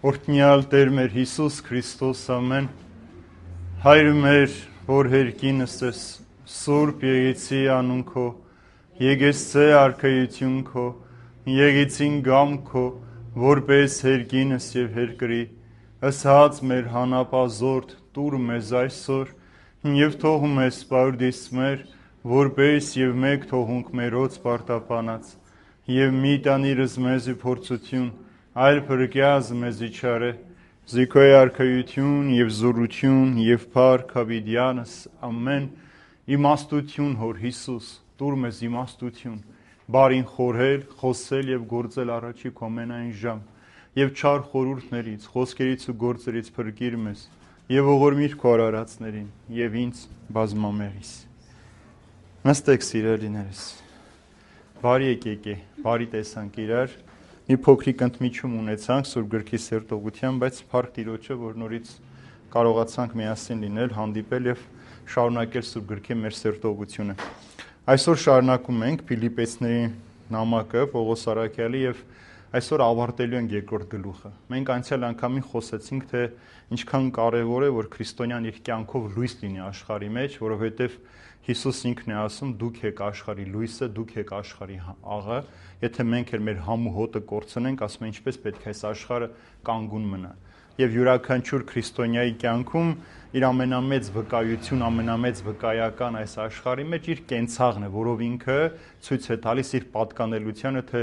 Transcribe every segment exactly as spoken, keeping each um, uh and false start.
Օրհնյալ Տեր մեր Հիսուս Քրիստոս ամեն Հայր մեր որ հերկինս ես Սուրբ Եղեցի անուն քո Եկեցե արքայություն քո Եղեցին գամ քո որպես հերկինս եւ հերկրի ըսած մեր հանապազորդ տուր մեզ այսօր եւ թող մեզ սպարդիս մեր որպես եւ մեկ թողունք մերոց պարտապանած եւ մի տանիրս մեզի փորձություն այլ փրկյազ մեզի չարե զիքոյ արքայություն եւ զորություն եւ փառք հավիդյանս ամեն իմաստություն հոր Հիսուս տուր մեզ իմաստություն բարին խորհել խոսել եւ գործել առաջի քո ամենայն ժամ եւ չար խորհուրդներից խոսքերից ու գործերից փրկիր մեզ եւ ողորմիր քո արարածներին եւ ինձ բազմամեղիս նստեք սիրելիներս բարի եկեք բարի տեսանք իրար մի փոքրիկ ընդմիջում ունեցանք Սուրբ Գրքի սերտողությամբ, բայց փառք Տիրոջը, որ նորից կարողացանք միասին լինել, հանդիպել եւ շարունակել Սուրբ Գրքի մեր սերտողությունը։ Այսօր շարունակում ենք Փիլիպպեցիների նամակը Պողոս Արաքյալի եւ այսօր ավարտելու ենք երկրորդ գլուխը։ Մենք անցյալ անգամին խոսեցինք, թե ինչքան կարեւոր է, որ քրիստոնյան իր կյանքով լույս լինի աշխարհի մեջ, որովհետեւ Հիսուս ինքն է ասում, դուք եք աշխարհի լույսը, դուք եք աշխարհի աղը, եթե մենք էլ մեր համ ու հոտը կորցնենք, ասում են ինչպես պետք է այս աշխարհը կանգուն մնա։ Եվ յուրաքանչյուր քրիստոնյայի կյանքում իր ամենամեծ վկայություն, ամենամեծ վկայական այս աշխարհի մեջ իր կենցաղն է, որով ինքը ցույց է տալիս իր պատկանելությանը, թե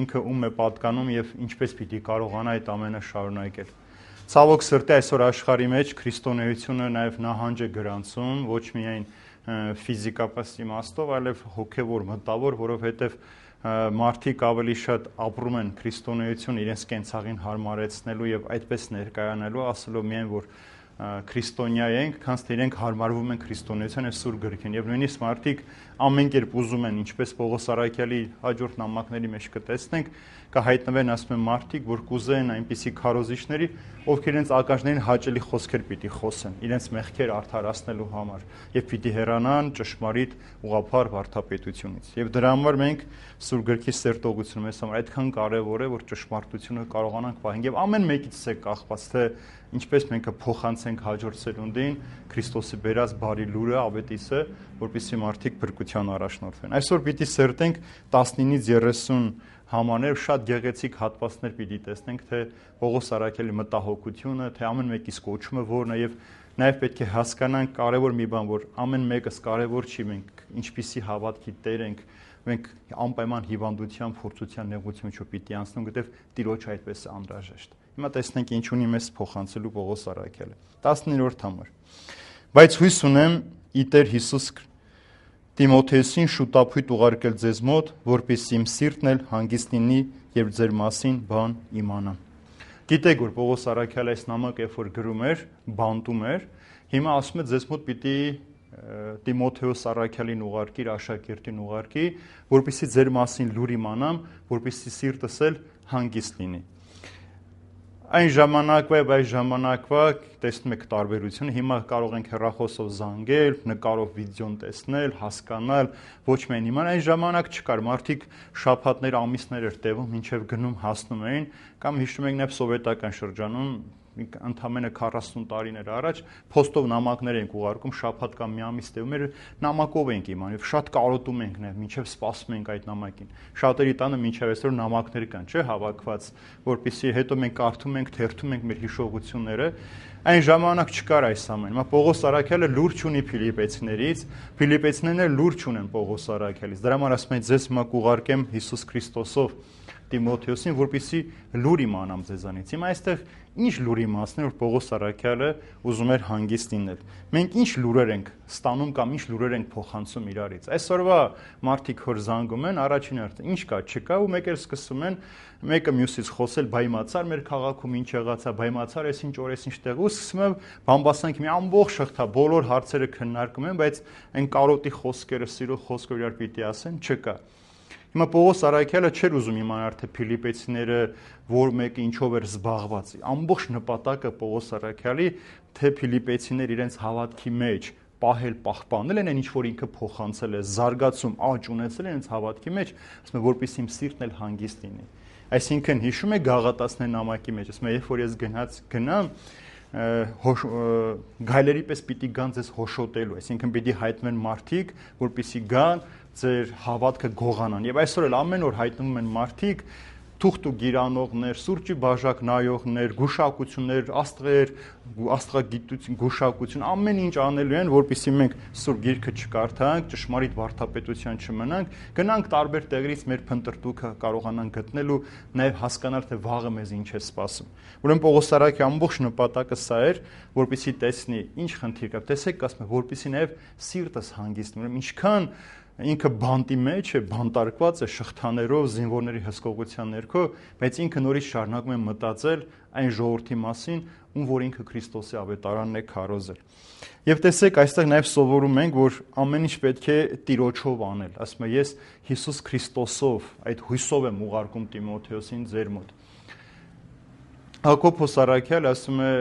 ինքը ում է պատկանում եւ ինչպես պիտի կարողանա այդ ամենը շարունակել։ Ցավոք սրտի այսօր աշխարհի մեջ քրիստոնեությունը նաեւ նահանջ է գրանցում, ոչ միայն ֆիզիկապես իմաստով, այլև հոգևոր, մտավոր, որովհետև մարդիկ ավելի շատ ապրում են քրիստոնեություն իրենց կենցաղին հարմարեցնելու եւ այդպես ներկայանալու, ասելով միայն որ քրիստոնյա ենք, քանց թե իրենք հարմարվում են քրիստոնեության եւ Սուրբ Գրքին եւ նույնիսկ մարդիկ ամեն կերպ ուզում են, ինչպես Պողոս Արաքյալի հաջորդ նամակների մեջ կտեսնենք, կհայտնվեն ասում են մարդիկ, որ կուզեն այնպիսի քարոզիչների, ովքեր իրենց ականջներին հաճելի խոսքեր պիտի խոսեն, իրենց մեղքեր արդարացնելու համար եւ պիտի հեռանան ճշմարիտ ուղղափառ վարդապետությունից։ Եվ դրա համար մենք Սուրբ Գրքի սերտողությունը մեզ համար այդքան կարեւոր է, որ ճշմարտությունը կարողանանք պահել եւ ամեն մեկից է կախված, թե ինչպես մենք կփոխանցենք հաջորդ սերունդին Քրիստոսի բերած բարի լուրը, ավետիսը, որպեսզի մարդիկ փրկության առաջնորդվեն։ Այսօր պիտի սերտենք տասնինից երեսուն համաներ, շատ գեղեցիկ հատվածներ պիտի տեսնենք, թե Պողոս Արաքյալի մտահոգությունը, թե ամեն մեկիս կոչումը որն է եւ նաեւ պետք է հասկանանք կարեւոր մի բան, որ ամեն մեկս կարեւոր չի, մենք ինչպիսի հավատքի տեր ենք, մենք անպայման հիվանդության, փորձության, նեղության չու պիտի անցնենք, որտեղ Տիրոջ այդպես է անհրաժեշտ։ Հիմա տեսնենք ինչ ունի մեզ փոխանցելու Պողոս Արաքյալը։ տասներորդ համար։ Բայց հույս ունեմ ի Տեր Հիսուս Տիմոթեոսին շուտապույտ ուղարկել ձեզ մոտ, որպեսզի իմ սիրտն էլ հանգիստ լինի, երբ ձեր մասին բան իմանամ։ Գիտեք, որ Պողոս Արաքյալը այս նամակը երբ որ գրում էր, բանտում էր, հիմա ասում է ձեզ մոտ պիտի Տիմոթեոս Արաքյալին ուղարկիր, աշակերտին ուղարկի, որպեսզի ձեր մասին լուր իմանամ, որպեսզի սիրտս էլ հանգիստ լինի։ Այն ժամանակվա եւ այս ժամանակվա տեսնում եք տարբերությունը, հիմա կարող ենք հեռախոսով զանգել, նկարով վիդեոն տեսնել, հասկանալ, ոչ միայն իմանալ, այն ժամանակ չկար, մարդիկ շաբաթներ, ամիսներ էր տևում, մինչեւ գնում հասնում էին, կամ հիշում եք նաեւ սովետական շրջանում ընդամենը քառասուն տարիներ առաջ փոստով նամակներ ենք ուղարկում, շաբաթ կամ մի ամիս տևում էր, նամակով ենք իմանում եւ շատ կարոտում ենք նաեւ, մինչեւ սպասում ենք այդ նամակին։ Շատերի տանը մինչեւ այսօր նամակներ կան, չէ՞, հավաքված, որpիսի հետո մենք կարդում ենք, թերթում ենք մեր հիշողությունները։ Այն ժամանակ չկար այս ամենը։ Հիմա Պողոս Արաքյալը լուրջ ունի Փիլիպպեցիներից, Փիլիպպեցիներն լուրջ ունեն Պողոս Արաքյալից։ Դրա համար ասում եմ, ձեզ հիմա կուղարկեմ Հիսուս Քրիստոսով Տիմոթեոսին, որպեսզի լուր իմանամ ձեզանից։ Հիմա այստեղ ինչ լուր իմացնել, որ Պողոս Արաքյալը ուզում էր հանգիստ լինել։ Մենք ինչ լուրեր ենք ստանում կամ ինչ լուրեր ենք փոխանցում իրարից։ Այսօրվա մարդիկ որ զանգում են, առաջին հերթին ինչ կա, չկա, ու մեկ էլ սկսում են մեկը մյուսից խոսել, բայմացար մեր քաղաքում ինչ եղածա, բայմացար էս ինչ օրես ինչ տեղ, ու սկսում է բամբասանք մի ամբողջ շղթա, բոլոր հարցերը քննարկում են, բայց այն կարոտի խոսքերը, սիրո խոսքերը իրար պիտի ասեն, չկա։ Հիմա Պողոս Արաքյալը չէր ուզում իմանալ, թե Փիլիպպեցիները որ մեկը ինչով էր զբաղված։ Ամբողջ նպատակը Պողոս Արաքյալի, թե Փիլիպպեցիները իրենց հավատքի մեջ պահել, պահպանել են այն ինչ որ ինքը փոխանցել է, զարգացում, աճ ունեցել են իրենց հավատքի մեջ, ասում է որպեսզի իմ սիրտն էլ հանգիստ լինի։ Այսինքն հիշում եք Գաղատացիներ նամակի մեջ, ասում է, երբ որ ես գնաց գնամ, գայլերի պես պիտի գան ձեզ հոշոտելու, այսինքն պիտի հայտնվեն մարդիկ, որպեսզի գան ձեր հավատքը գողանան։ Եվ այսօր էլ ամեն օր հայտնվում են մարդիկ, թուղթ ու գիրանողներ, սուրճի բաժակ նայողներ, գուշակություններ, աստղեր, աստղագիտություն, գուշակություն, ամեն ինչ անելու են, որպեսզի մենք Սուրբ Գիրքը չկարդանք, ճշմարիտ վարդապետության չմնանք, գնանք տարբեր տեղերից մեր փնտրտուքը կարողանանք գտնել ու նաև հասկանալ, թե վաղը մեզ ինչ է սպասում։ Ուրեմն Պողոս Արաքյալի ամբողջ նպատակը սա էր, որպեսզի տեսնի ինչ խնդիր կա, տեսեք, ասում է, որպեսզի նաև սիրտս հանգիստ, ուրեմն ինչքան ինքը բանտի մեջ է, բանտարկված է շղթաներով, զինվորների հսկողության ներքո, բայց ինքը նորից շարունակում է մտածել այն ժողովրդի մասին, ում որ ինքը Քրիստոսի ավետարանն է քարոզել։ Եվ տեսեք, այստեղ նաև սովորում ենք, որ ամեն ինչ պետք է Տիրոջով անել։ Ասում է, ես Հիսուս Քրիստոսով, այդ հույսով եմ ուղարկում Տիմոթեոսին ձեր մոտ։ Հակոբ Սարաքյալ ասում է,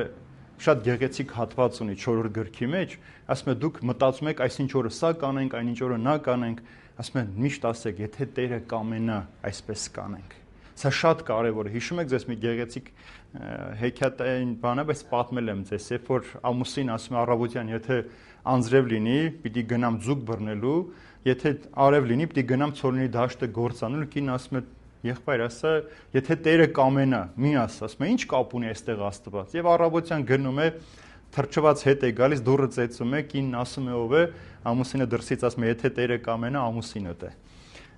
շատ գեղեցիկ հատված ունի չորրորդ գրքի մեջ, ասում է դուք մտածում եք այսինչ օրը սա կանենք, այնինչ օրը նա կանենք, ասում է միշտ ասեք, եթե Տերը կամենա, այսպես կանենք։ Սա շատ կարևոր է։ Հիշում եք ձեզ մի գեղեցիկ հեքիաթային բան է, բայց պատմել եմ ձեզ, երբ որ ամուսին ասում է առավոտյան, եթե անձրև լինի, պիտի գնամ ձուկ բռնելու, եթե արև լինի, պիտի գնամ ցորենի դաշտը գործանելու, կին ասում է եղբայր, ասա, եթե Տերը կամենա, մի ասա, ասում է, ինչ կապ ունի այստեղ Աստված։ Եվ առավոտյան գնում է, թրջված հետ է գալիս, դուռը ծեծում է, կինն ասում է ով է, ամուսինը դրսից ասում է, եթե Տերը կամենա, ամուսինդ է։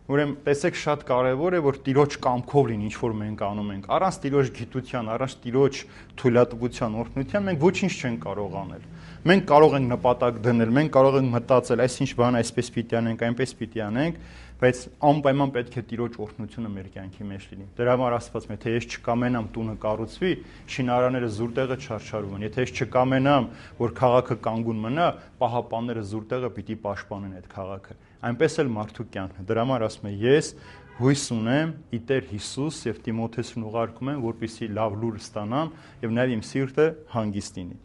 Ուրեմն տեսեք, շատ կարևոր է, որ Տիրոջ կամքով լինի, ինչ որ մենք անում ենք։ Առանց Տիրոջ գիտության, առանց Տիրոջ թույլատվության, օրհնության մենք ոչինչ չենք կարող անել։ Մենք կարող ենք նպատակ դնել, մենք կարող ենք մտածել, այսինչ բան այսպես պիտի անենք, այնպես պիտի անենք, բայց անպայման պետք է Տիրոջ օրհնությունը մեր կյանքի մեջ լինի։ Դրա համար Աստված մե թե ես չկամենամ տունը կառուցվի, շինարանները զուր տեղը չարչարվում են։ Եթե ես չկամենամ, որ քաղաքը կանգուն մնա, պահապանները զուր տեղը պիտի պաշտպանեն այդ քաղաքը։ Այնպես էլ մարդու կյանքն է։ Դրա համար ասում է ես հույս ունեմ ի Տեր Հիսուս եւ Տիմոթեոսին ուղարկում եմ, որպեսզի լավ լուր ստանամ եւ նաեւ իմ սիրտը հանգիստ լինի։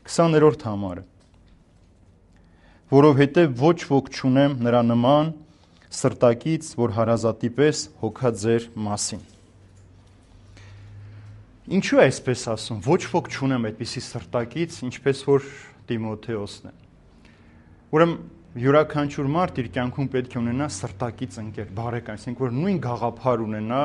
քսաներորդ համարը։ Որովհետեւ ոչ ոք չունեմ նրա նման սրտակից, որ հարազատի պես հոգա ձեր մասին։ Ինչու է այսպես ասում, ոչ ոք չունեմ այդպիսի սրտակից, ինչպես որ Տիմոթեոսն է։ Ուրեմն յուրաքանչյուր մարդ իր կյանքում պետք է ունենա սրտակից ընկեր, բարեկամ, այսինքն որ նույն գաղափար ունենա,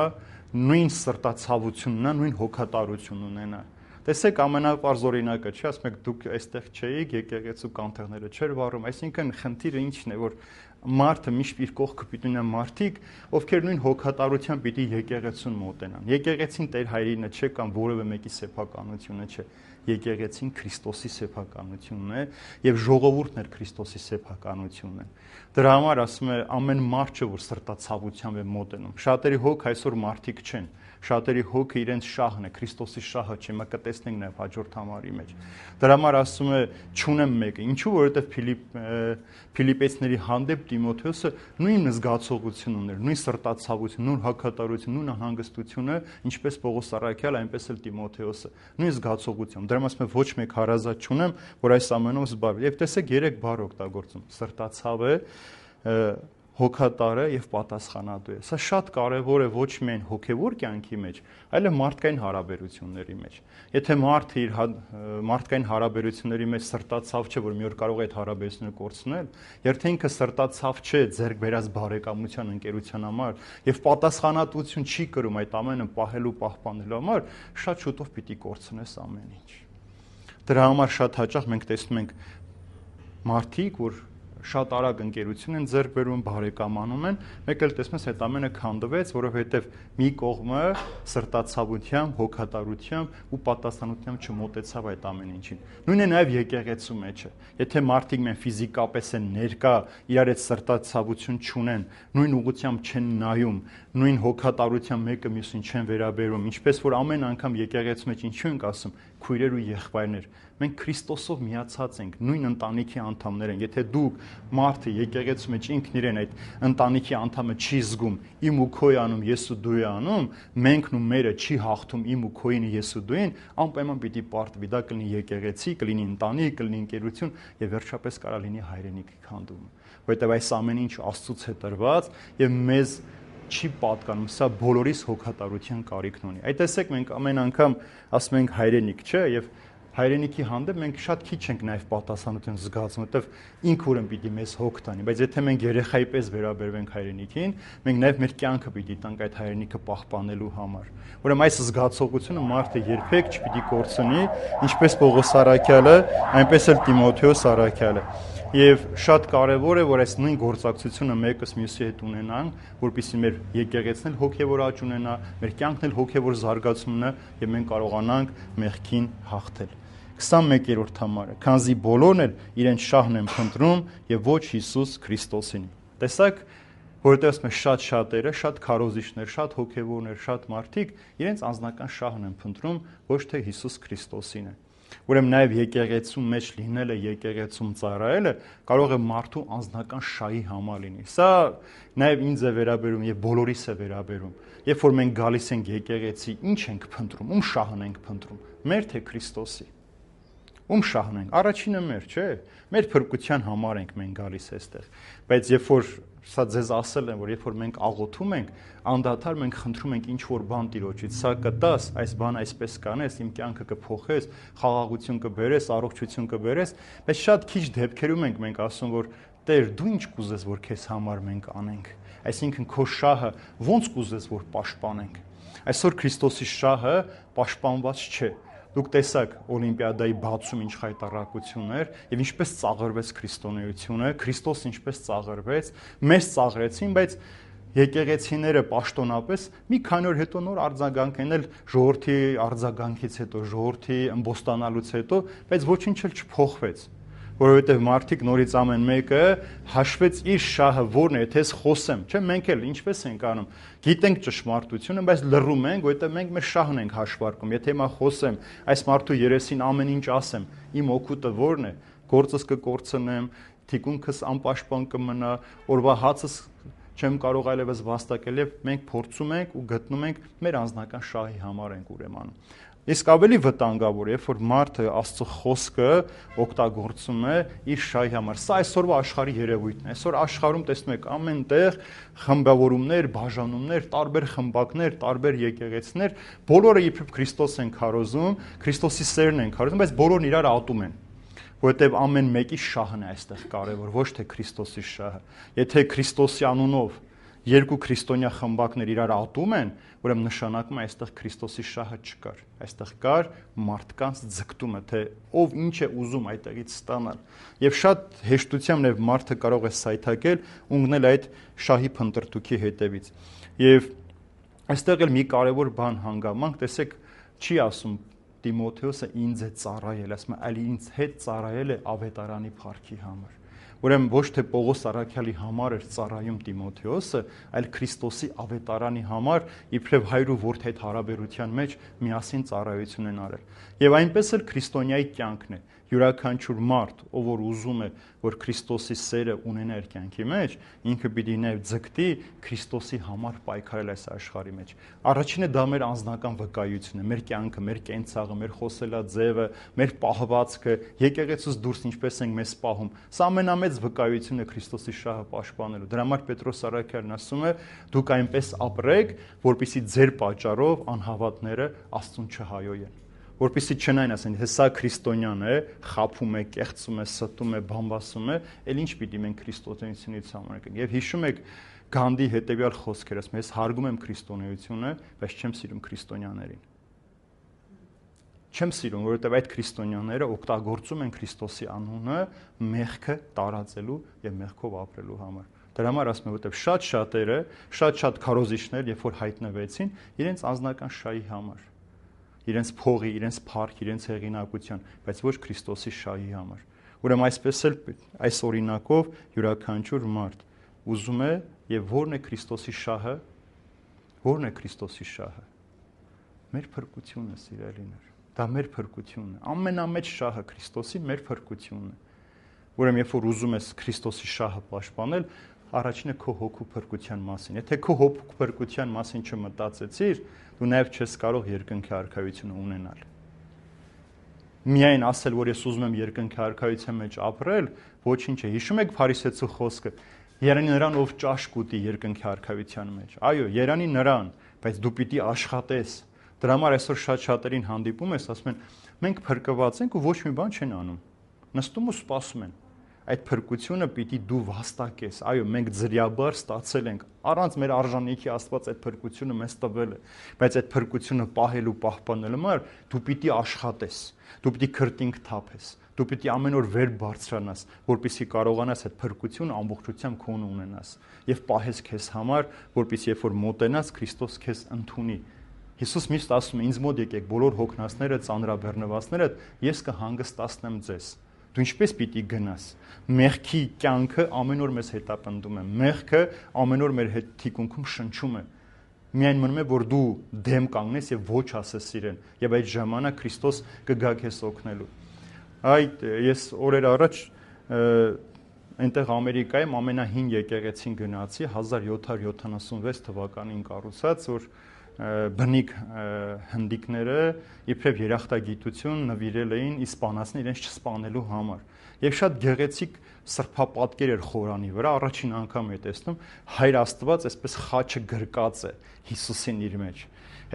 նույն սրտացավություն ունենա, նույն հոգատարություն ունենա։ Տեսեք ամենապարզ օրինակը, չէ՞, ասում եք դուք այստեղ չէիք, եկեղեցու կանթեղները չէր վառում, այսինքն խնդիրը ինչն է, որ մարդը միշտ իր կողքը պիտի ունենա մարդիկ, ովքեր նույն հոգատարությամբ պիտի եկեղեցուն մոտենան։ Եկեղեցին Տեր Հայրինը չէ կամ որևէ մեկի սեփականությունը չէ։ Եկեղեցին Քրիստոսի սեփականությունն է եւ ժողովուրդն էր Քրիստոսի սեփականությունն է։ Դրա համար ասում է ամեն մարդ չէ որ սրտացավությամբ է մոտենում։ Շատերի հոգ այսօր մարդիկ չեն։ Շատերի հոգը իրենց շահն է, Քրիստոսի շահը չէ, մենք կտեսնենք նաև հաջորդ համարի մեջ։ Դրա համար ասում է չունեմ մեկը, ինչու որովհետև Փիլիպ Փիլիպեցիների հանդեպ Տիմոթեոսը նույն զգացողություն ուներ, նույն սրտացավություն, նույն հոգատարություն, նույն հանգստությունը, ինչպես Պողոս Արաքյալ, այնպես էլ Տիմոթեոսը, նույն զգացողություն։ Դրա համար ասում է ոչ մեկ հարազատ չունեմ, որ այս ամենով զբաղվի։ Եվ տեսեք երեք բառ օգտագործում՝ սրտացավ է, հոգատար է եւ պատասխանատու է։ Սա շատ կարեւոր է ոչ միայն հոգեվոր կյանքի մեջ, այլև մարդկային հարաբերությունների մեջ։ Եթե մարդը իր մարդկային հարաբերությունների մեջ սրտացավ չէ, որ մի օր կարող է այդ հարաբերությունները կորցնել, եթե ինքը սրտացավ չէ ձեռք բերած բարեկամության, ընկերության համար եւ պատասխանատվություն չի կրում այդ ամենը պահելու, պահպանելու համար, շատ շուտով պիտի կորցնես ամեն ինչ։ Դրա համար շատ հաճախ մենք տեսնում ենք մարդիկ, որ շատ արագ ընկերություն են ձեռք բերում, բարեկամանում են, մեկ էլ տեսնես այդ ամենը քանդվեց, որովհետև մի կողմը սրտացավությամբ, հոգատարությամբ ու պատասխանությամբ չմոտեցավ այդ ամեն ինչին։ Նույնն է նաև եկեղեցու մեջը։ Եթե մարդիկ մեն ֆիզիկապես են ներկա, իրար այդ սրտացավություն չունեն, նույն ուղղությամբ չեն նայում, նույն հոգատարությամբ մեկը մյուսին չեն վերաբերում, ինչպես որ ամեն անգամ եկեղեցու մեջ ինչու ենք ասում, քույրեր ու եղբայրներ, մենք Քրիստոսով միացած ենք, նույն ընտանիքի անդամներ ենք։ Եթե դուք մարդը եկեղեցու մեջ ինքն իրեն այդ ընտանիքի անդամը չի զգում, իմ ու քոյ անում, ես ու դու անում, менքն ու մերը չի հաղթում իմ ու քոյինը, ես ու դուին, անպայման պիտի պարտվի, դա կլինի եկեղեցի, կլինի ընտանիք, կլինի ընկերություն եւ վերջապես կարա լինի հայրենիքի քանդումը։ Որովհետեւ այս ամեն ինչ Աստծուց է տրված եւ մեզ չի պատկանում, սա բոլորիս հոգատարության կարիքն ունի։ Այդ տեսեք մենք ամեն անգամ ասում ենք հայրենիք, չէ, եւ հայրենիքի հանդեպ մենք շատ քիչ ենք նաև պատասխանատվություն զգացում, որովհետև ինքը ուրեմն պիտի մեզ հոգ տանի, բայց եթե մենք երեխայի պես վերաբերվենք հայրենիքին, մենք նաև մեր կյանքը պիտի տանք այդ հայրենիքը պահպանելու համար։ Ուրեմն այս զգացողությունը մարդը երբեք չպիտի կորցնի, ինչպես Պողոս Առաքյալը, այնպես էլ Տիմոթեոս Առաքյալը։ Եվ շատ կարևոր է, որ այս նույն գործակցությունը մեկս մյուսի հետ ունենանք, որպեսզի մեր եկեղեցին էլ հոգևոր աճ ունենա, մեր կյանքն էլ հոգևոր զարգացում ունենա եւ մենք կարողանանք մեղքին հաղթել։ քսանմեկերորդ համարը, քանզի բոլորն էլ իրենց շահն են փնտրում եւ ոչ Հիսուս Քրիստոսին։ Տեսակ, որովհետեւ ասում է շատ շատերը, շատ քարոզիչներ, շատ հոգևորներ, շատ մարդիկ իրենց անձնական շահն են փնտրում, ոչ թե Հիսուս Քրիստոսին է։ Ուրեմն նաև եկեղեցու մեջ լինելը, եկեղեցում ծառայելը կարող է մարդու անձնական շահի համար լինի։ Սա նաև ինձ է վերաբերում եւ բոլորիս է վերաբերում։ Երբ որ մենք գալիս ենք եկեղեցի, ինչ ենք փնտրում, ում շահն ենք փնտրում։ Մեր թե Քրիստոսի։ Ում շահն ենք։ Առաջինը մեր, չէ՞։ Մեր փրկության համար ենք մենք գալիս այստեղ։ Բայց երբ որ սա ձեզ ասել եմ, որ երբ որ մենք աղոթում ենք, անդադար մենք խնդրում ենք ինչ որ բան Տիրոջից, սա կտաս, այս բան այսպես կանես, իմ կյանքը կփոխես, խաղաղություն կբերես, առողջություն կբերես, բայց շատ քիչ դեպքերում ենք մենք ասում, որ Տեր, դու ինչ կուզես, որ քեզ համար մենք անենք։ Այսինքն քո շահը ո՞նց կուզես, որ պաշտպանենք։ Այսօր Քրիստոսի շահը պաշտպանված չէ։ Դուք տեսաք Օլիմպիադայի բացում ինչ խայտառակություն էր եւ ինչպես ծաղրվեց քրիստոնեությունը, Քրիստոս ինչպես ծաղրվեց, մեզ ծաղրեցին, բայց եկեղեցիները պաշտոնապես մի քանի օր հետո նոր արձագանք են էլ ժողովրդի արձագանքից հետո, ժողովրդի ըմբոստանալուց հետո, բայց ոչինչ էլ չփոխվեց, որովհետեւ մարդիկ նորից ամեն մեկը հաշվեց իր շահը որն է, եթե ես խոսեմ, չէ՞, մենք էլ ինչպես ենք անում, գիտենք ճշմարտությունը, բայց լռում ենք, որովհետեւ մենք մեր շահն ենք հաշվարկում, եթե հիմա խոսեմ, այս մարդու երեսին ամեն ինչ ասեմ, իմ օգուտը որն է, գործս կկորցնեմ, թիկունքս անպաշտպան կմնա, օրվա հացս չեմ կարող այլևս վաստակել եւ մենք փորձում ենք ու գտնում ենք մեր անձնական շահի համար ենք ուրեմն։ Իսկ ավելի վտանգավոր է, երբ որ մարդը Աստծո խոսքը օգտագործում է իր շահի համար։ Սա այսօրվա աշխարհի երևույթն է։ Այսօր աշխարհում տեսնում եք ամենտեղ խմբավորումներ, բաժանումներ, տարբեր խմբակներ, տարբեր եկեղեցիներ, բոլորը իբրև Քրիստոս են քարոզում, Քրիստոսի սերն են քարոզում, բայց բոլորն իրար ատում են։ Որովհետև ամեն մեկի շահն է այստեղ կարևոր, ոչ թե Քրիստոսի շահը։ Եթե Քրիստոսի անունով երկու քրիստոնյա խմբակներ իրար ատում են, ուրեմն նշանակում է այստեղ Քրիստոսի շահը չկար։ Այստեղ կար մարդկանց ձգտումը, թե ով ինչ է ուզում այդտեղից ստանալ։ Եվ շատ հեշտությամբ նաև մարդը կարող է սայթակել ու ընկնել այդ շահի փնտրտուքի հետևից։ Եվ այստեղ էլ մի կարևոր բան հանգամանք, տեսեք, չի ասում Տիմոթեոսը ինձ է ծառայել, ասում է, այլ ինձ հետ ծառայել է ավետարանի փառքի համար։ Ուրեմն ոչ թե Պողոս Առաքյալի համար էր ծառայում Տիմոթեոսը, այլ Քրիստոսի ավետարանի համար իբրև հայր ու որդի հետ հարաբերության մեջ միասին ծառայություն են արել։ Եվ այնպես էլ քրիստոնյայի կյանքն է։ Յուրաքանչյուր մարդ, ով որ ուզում է, որ Քրիստոսի սերը ունենա իր կյանքի մեջ, ինքը պիտի նաև ձգտի Քրիստոսի համար պայքարել այս աշխարհի մեջ։ Առաջինը դա մեր անձնական վկայությունն է, մեր կյանքը, մեր կենցաղը, մեր խոսելաձևը, մեր պահվածքը, եկեղեցուց դուրս ինչպես ենք մեզ պահում։ Սա ամենամեծ վկայությունն է Քրիստոսի շահը պաշտպանելու։ Դրա համար Պետրոս Առաքյալն ասում է. դուք այնպես ապրեք, որպեսզի ձեր պատճառով անհավատները Աստծուն չհայոյեն։ Որպեսզի չնային ասեն, թե սա քրիստոնյան է, խաբում է, կեղծում է, ստում է, բամբասում է, էլ ինչ պիտի մենք քրիստոնեությունից համարենք։ Եվ հիշում եք Գանդի հետևյալ խոսքերը, ասում ես հարգում եմ քրիստոնեությունը, բայց չեմ սիրում քրիստոնյաներին։ Չեմ սիրում, որովհետև այդ քրիստոնյաները օգտագործում են Քրիստոսի անունը մեղքը տարածելու եւ մեղքով ապրելու համար։ Դրա համար ասում եմ, որովհետև շատ շատերը, շատ-շատ քարոզիչներ, երբ որ հայտնվեցին, իրենց անձնական շահի համար, իրենց փողի, իրենց փառքի, իրենց հեղինակության, բայց ոչ Քրիստոսի շահի համար։ Ուրեմն այսպես էլ այս օրինակով յուրաքանչյուր մարդ ուզում է եւ ո՞րն է Քրիստոսի շահը, ո՞րն է Քրիստոսի շահը։ Մեր փրկությունը, սիրելիներ, դա մեր փրկությունն է։ Ամենամեծ շահը Քրիստոսի մեր փրկությունն է։ Ուրեմն երբ որ ուզում ես Քրիստոսի շահը պաշտպանել, առաջինը քո հոգու փրկության մասին։ Եթե քո հոգու փրկության մասին չմտածեցիր, դու նաև չես կարող երկնքի արքայությունը ունենալ։ Միայն ասել, որ ես ուզում եմ երկնքի արքայության մեջ ապրել, ոչինչ է։ Հիշում եք Փարիսեցու խոսքը. Երանի նրան, ով ճաշ կուտի երկնքի արքայության մեջ։ Այո, երանի նրան, բայց դու պիտի աշխատես։ Դրա համար այսօր շատ շատերին հանդիպում ես, ասում են, մենք փրկված ենք ու ոչ մի բան չեն անում։ Նստում ու սպասում են։ Այդ փրկությունը պիտի դու վաստակես։ Այո, մենք ձրիաբար ստացել ենք, առանց մեր արժանիքի Աստված այդ փրկությունը մեզ տվել է, բայց այդ փրկությունը պահելու, պահպանելու համար դու պիտի աշխատես, դու պիտի քրտինք թափես, դու պիտի ամեն օր վեր բարձրանաս, որպեսզի կարողանաս այդ փրկությունը ամբողջությամբ քո ունենաս եւ պահես քեզ համար, որպեսզի երբ որ մոտենաս, Քրիստոս քեզ ընդունի։ Հիսուս միշտ ասում է, ինձ մոտ եկեք բոլոր հոգնածները, ծանրաբեռնվածները, ես կհանգստացնեմ ձեզ։ Դու ինչպես պիտի գնաս։ Մեղքի կյանքը ամեն օր մեզ հետապնդում է։ Մեղքը ամեն օր մեր հետ թիկունքում շնչում է։ Միայն մնում է, որ դու դեմ կանգնես եւ ոչ ասես իրեն, եւ այդ ժամանակ Քրիստոս կգա քեզ օգնելու։ Այդ ես օրեր առաջ այնտեղ Ամերիկայում ամենահին եկեղեցին գնացի հազար յոթ հարյուր յոթանասունվեց թվականին կառուցած, որ բնիկ հնդիկները իբրև երախտագիտություն նվիրել էին իսպանացին իրենց չսպանելու համար։ Եվ շատ գեղեցիկ սրբապատկեր էր խորանի վրա, առաջին անգամ եմ տեսնում, Հայր Աստված այսպես խաչը գրկած է Հիսուսին իր մեջ։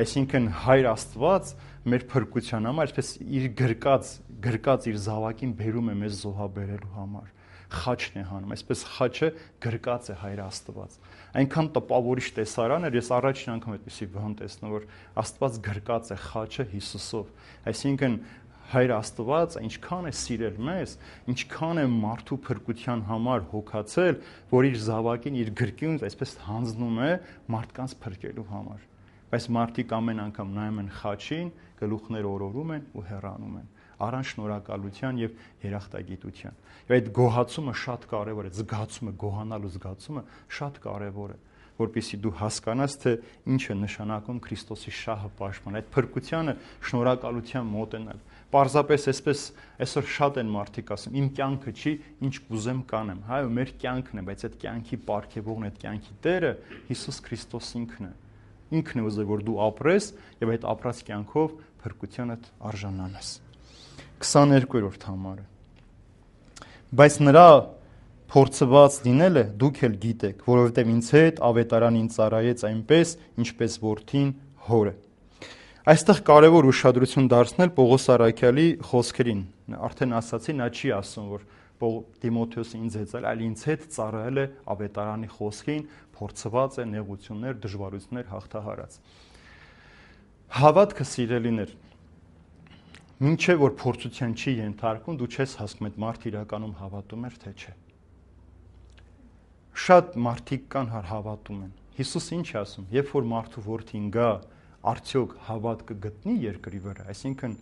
Այսինքն Հայր Աստված մեր փրկության համար այսպես իր գրկած գրկած իր զավակին բերում է մեզ զոհաբերելու համար։ Խաչն է հանում, այսպես խաչը գրկած է Հայր Աստված։ Այնքան տպավորիչ տեսարան էր, ես առաջին անգամ այդպեսի բան տեսնում, որ Աստված գրկած է խաչը Հիսուսով։ Այսինքն Հայր Աստված ինչքան է սիրել մեզ, ինչքան է մարդու փրկության համար հոգացել, որ իր զավակին իր գրկից այսպես հանձնում է մարդկանց փրկելու համար։ Բայց մարդիկ ամեն անգամ նայում են խաչին, գլուխները օրորում են ու հեռանում են, առանց շնորհակալության եւ երախտագիտության։ Եվ այդ գոհացումը շատ կարեւոր է, զգացումը, գոհանալու զգացումը շատ կարեւոր է, որպեսզի դու հասկանաս, թե ինչ է նշանակում Քրիստոսի շահը պաշտպանել, այդ փրկությանը շնորհակալության մոտենալ։ Պարզապես այսպես այսօր շատ են մարդիկ ասում, իմ կյանքը չի, ինչ կուզեմ կանեմ։ Հայո, մեր կյանքն է, բայց այդ կյանքի պարգևողն, այդ կյանքի Տերը Հիսուս Քրիստոս ինքն է։ Ինքն է ուզել, որ դու ապրես եւ այդ ապրած կյանքով փրկությանդ արժանանաս։ քսաներկուերորդ համարը։ Բայց նրա փորձված լինելը դուք էլ գիտեք, որովհետև ինձ հետ ավետարանին ծառայեց այնպես, ինչպես որդին հորը։ Այստեղ կարևոր ուշադրություն դարձնել Պողոս առաքյալի խոսքերին։ Արդեն ասացի, նա չի ասում, որ Տիմոթեոսը ինձ հետ ծառայել, այլ ինձ հետ ծառայել է ավետարանի խոսքին, փորձված է նեղություններ, դժվարություններ հաղթահարած։ Հավատքը, սիրելիներ, մինչև որ փորձության չի ենթարկվում, դու չես հասկանում այդ մարդը իրականում հավատում էր, թե չէ։ Շատ մարդիկ կան հավատում են։ Հիսուս ինչ է ասում, երբ որ մարդու որդին գա, արդյոք հավատքը գտնի երկրի վրա, այսինքն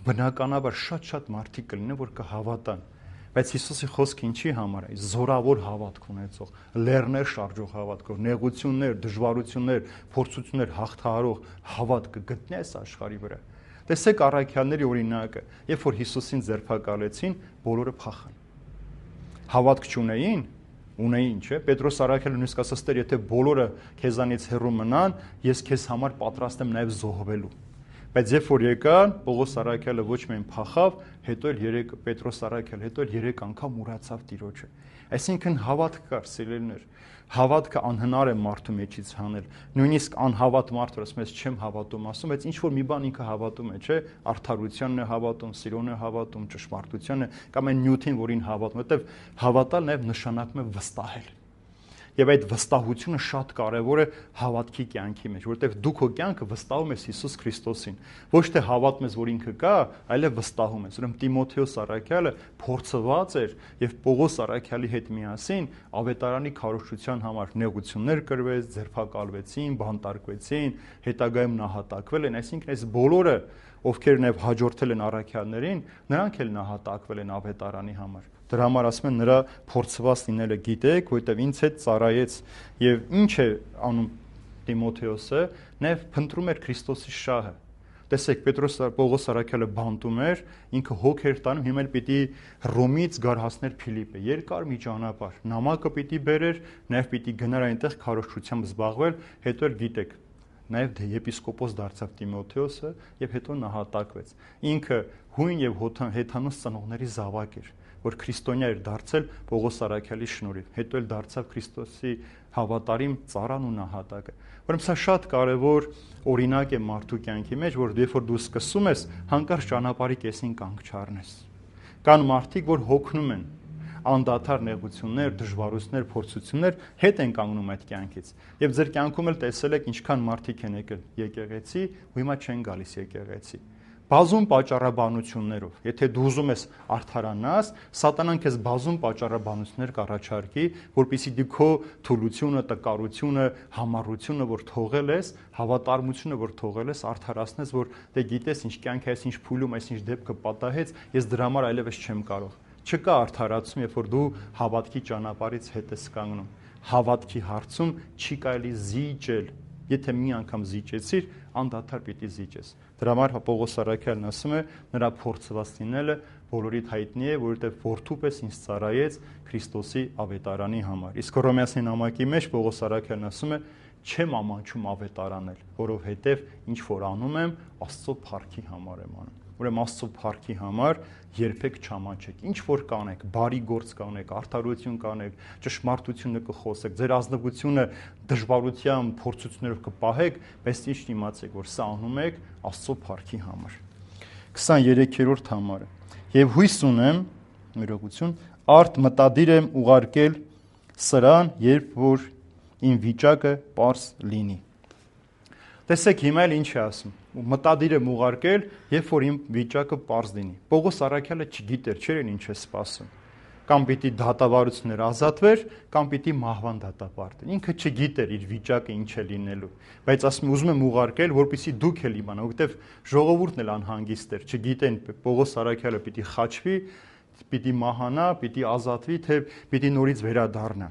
բնականաբար շատ-շատ մարդիկ կլինեն, որ կհավատան։ Բայց Հիսուսի խոսքը ինչի համար է, զորավոր հավատք ունեցող, լեռներ շարժող հավատքով, նեղություններ, դժվարություններ, փորձություններ հաղթահարող հավատքը գտնի այս աշխարհի վրա։ Տեսեք առաքյալների օրինակը, երբ որ Հիսուսին ձերբակալեցին, բոլորը փախան։ Հավատք չունեին, ունեին, չէ՞։ Պետրոս առաքյալը նույնիսկ ասաց, Տեր, եթե բոլորը քեզանից հեռու մնան, ես քեզ համար պատրաստ եմ նաև զոհվելու։ Բայց երբ որ եկան, Պողոս առաքյալը ոչ միայն փախավ, հետո էլ երեք Պետրոս առաքյալը, հետո էլ երեք անգամ ուրացավ Տիրոջը։ Այսինքն հավատք կար, սիրելիներ։ Հավատքը անհնար է մարդու մեջից հանել։ Նույնիսկ անհավատ մարդը ասում է, չեմ հավատում, ասում, բայց ինչ որ մի բան ինքը հավատում է, չէ՞, արդարությանն է հավատում, սիրուն է հավատում, ճշմարտությանն է, կամ այն նյութին, որին հավատում, որտեվ հավատալ նաև նշանակում է վստահել։ Եվ այդ վստահությունը շատ կարևոր է հավատքի կյանքի մեջ, որովհետև դու քո կյանքը վստահում ես Հիսուս Քրիստոսին։ Ոչ թե հավատում ես, որ ինքը կա, այլև վստահում ես։ Ուրեմն Տիմոթեոս առաքյալը փորձված էր եւ Պողոս առաքյալի հետ միասին ավետարանի քարոզչության համար նեղություններ կրվեց, ձերբակալվեցին, բանտարկվեցին, հետագայում նահատակվել են, այսինքն այս բոլորը, ովքեր նաև հաջորդել են առաքյալներին, նրանք էլ նահատակվել են ավետարանի համար։ Դրա համար ասում են նրա փորձված լինելը գիտեք, որովհետև ինձ հետ ծառայեց եւ ինչ է անում Տիմոթեոսը, նաև փնտրում էր Քրիստոսի շահը։ Տեսեք, Պետրոս Պողոս առաքյալը բանտում էր, ինքը հոգ էր տանում, հիմա էլ պիտի Ռոմից գար հասներ Փիլիպպե, երկար մի ճանապարհ, նամակը պիտի բերեր, նաև պիտի գնար այնտեղ քարոզչությամբ զբաղվել, հետո էլ գիտեք, նաև եպիսկոպոս դարձավ Տիմոթեոսը եւ հետո նահատակվեց։ Ինքը հույն եւ հեթանոս ծնողների զավակ էր, որ քրիստոնյա էր դարձել Պողոս Արաքյալի շնորհիվ, հետո էլ դարձավ Քրիստոսի հավատարիմ ծառան ու նահատակը։ Ուրեմն սա շատ կարևոր օրինակ է մարդու կյանքի մեջ, որ երբ որ դու սկսում ես, հանկարծ ճանապարհի կեսին կանգ չառնես։ Կան մարդիկ, որ հոգնում են անդադար նեղություններ, դժվարություններ, փորձություններ, հետ են կանգնում այդ կյանքից։ Եվ ձեր կյանքում էլ տեսել եք ինչքան մարդիկ են եկել եկեղեցի, ու հիմա չեն գալիս եկեղեցի։ Բազում պատճառաբանություններով, եթե դու ուզում ես արդարանաս, սատանան քեզ բազում պատճառաբանություններ կառաջարկի, որպեսզի դու քո թուլությունը, տկարությունը, համառությունը, որ թողել ես, հավատարմությունը, որ թողել ես, արդարացնես, որ դե գիտես ինչ կյանք է, այս ինչ փուլում, այս ինչ դեպքը պատահեց, ես դրա համար այլևս չեմ կարող։ Չկա արդարացում, երբ որ դու հավատքի ճանապարհից հետ ես կանգնում։ Հավատքի հարցում չի կարելի զիջել։ Եթե մի անգամ զիջեցիր, անդադար պիտի զիջես։ Դրա համար Պողոս Արաքյալն ասում է, նրա փորձված լինելը բոլորիդ հայտնի է, որովհետև որդու պես ինձ ծառայեց Քրիստոսի ավետարանի համար։ Իսկ Հռոմեացի նամակի մեջ Պողոս Արաքյալն ասում է, չեմ ամանչում ավետարանել, որովհետև ինչ որ անում եմ, Աստծո փառքի համար եմ անում։ Ուրեմն Աստծո փառքի համար երբեք չամանչեք։ Ինչ որ կանեք, բարի գործ կանեք, արդարություն կանեք, ճշմարտությունը կխոսեք, ձեր ազնվությունը դժվարությամբ, փորձություններով կպահեք, բայց ճիշտ իմացեք, որ սա անում եք Աստծո փառքի համար։ քսաներեքերորդ համարը։ Եվ հույս ունեմ, մերողություն, արդ մտադիր եմ ուղարկել սրան, երբ որ իմ վիճակը պարզ լինի։ Տեսեք հիմա էլ ինչ է ասում։ Մտադիր եմ ուղարկել, երբ որ իմ վիճակը պարզ լինի։ Պողոս Արաքյալը չգիտեր, չէր ինչ է սպասում։ Կամ պիտի դատավարություններ ազատվեր, կամ պիտի մահվան դատապարտեր։ Ինքը չգիտեր իր վիճակը ինչ է լինելու, բայց ասում ուզում եմ ուղարկել, որպեսզի դուք էլ իմանաք, որովհետև ժողովուրդն էլ անհանգիստ էր, չգիտեն Պողոս Արաքյալը պիտի խաչվի, պիտի մահանա, պիտի ազատվի, թե պիտի նորից վերադառնա։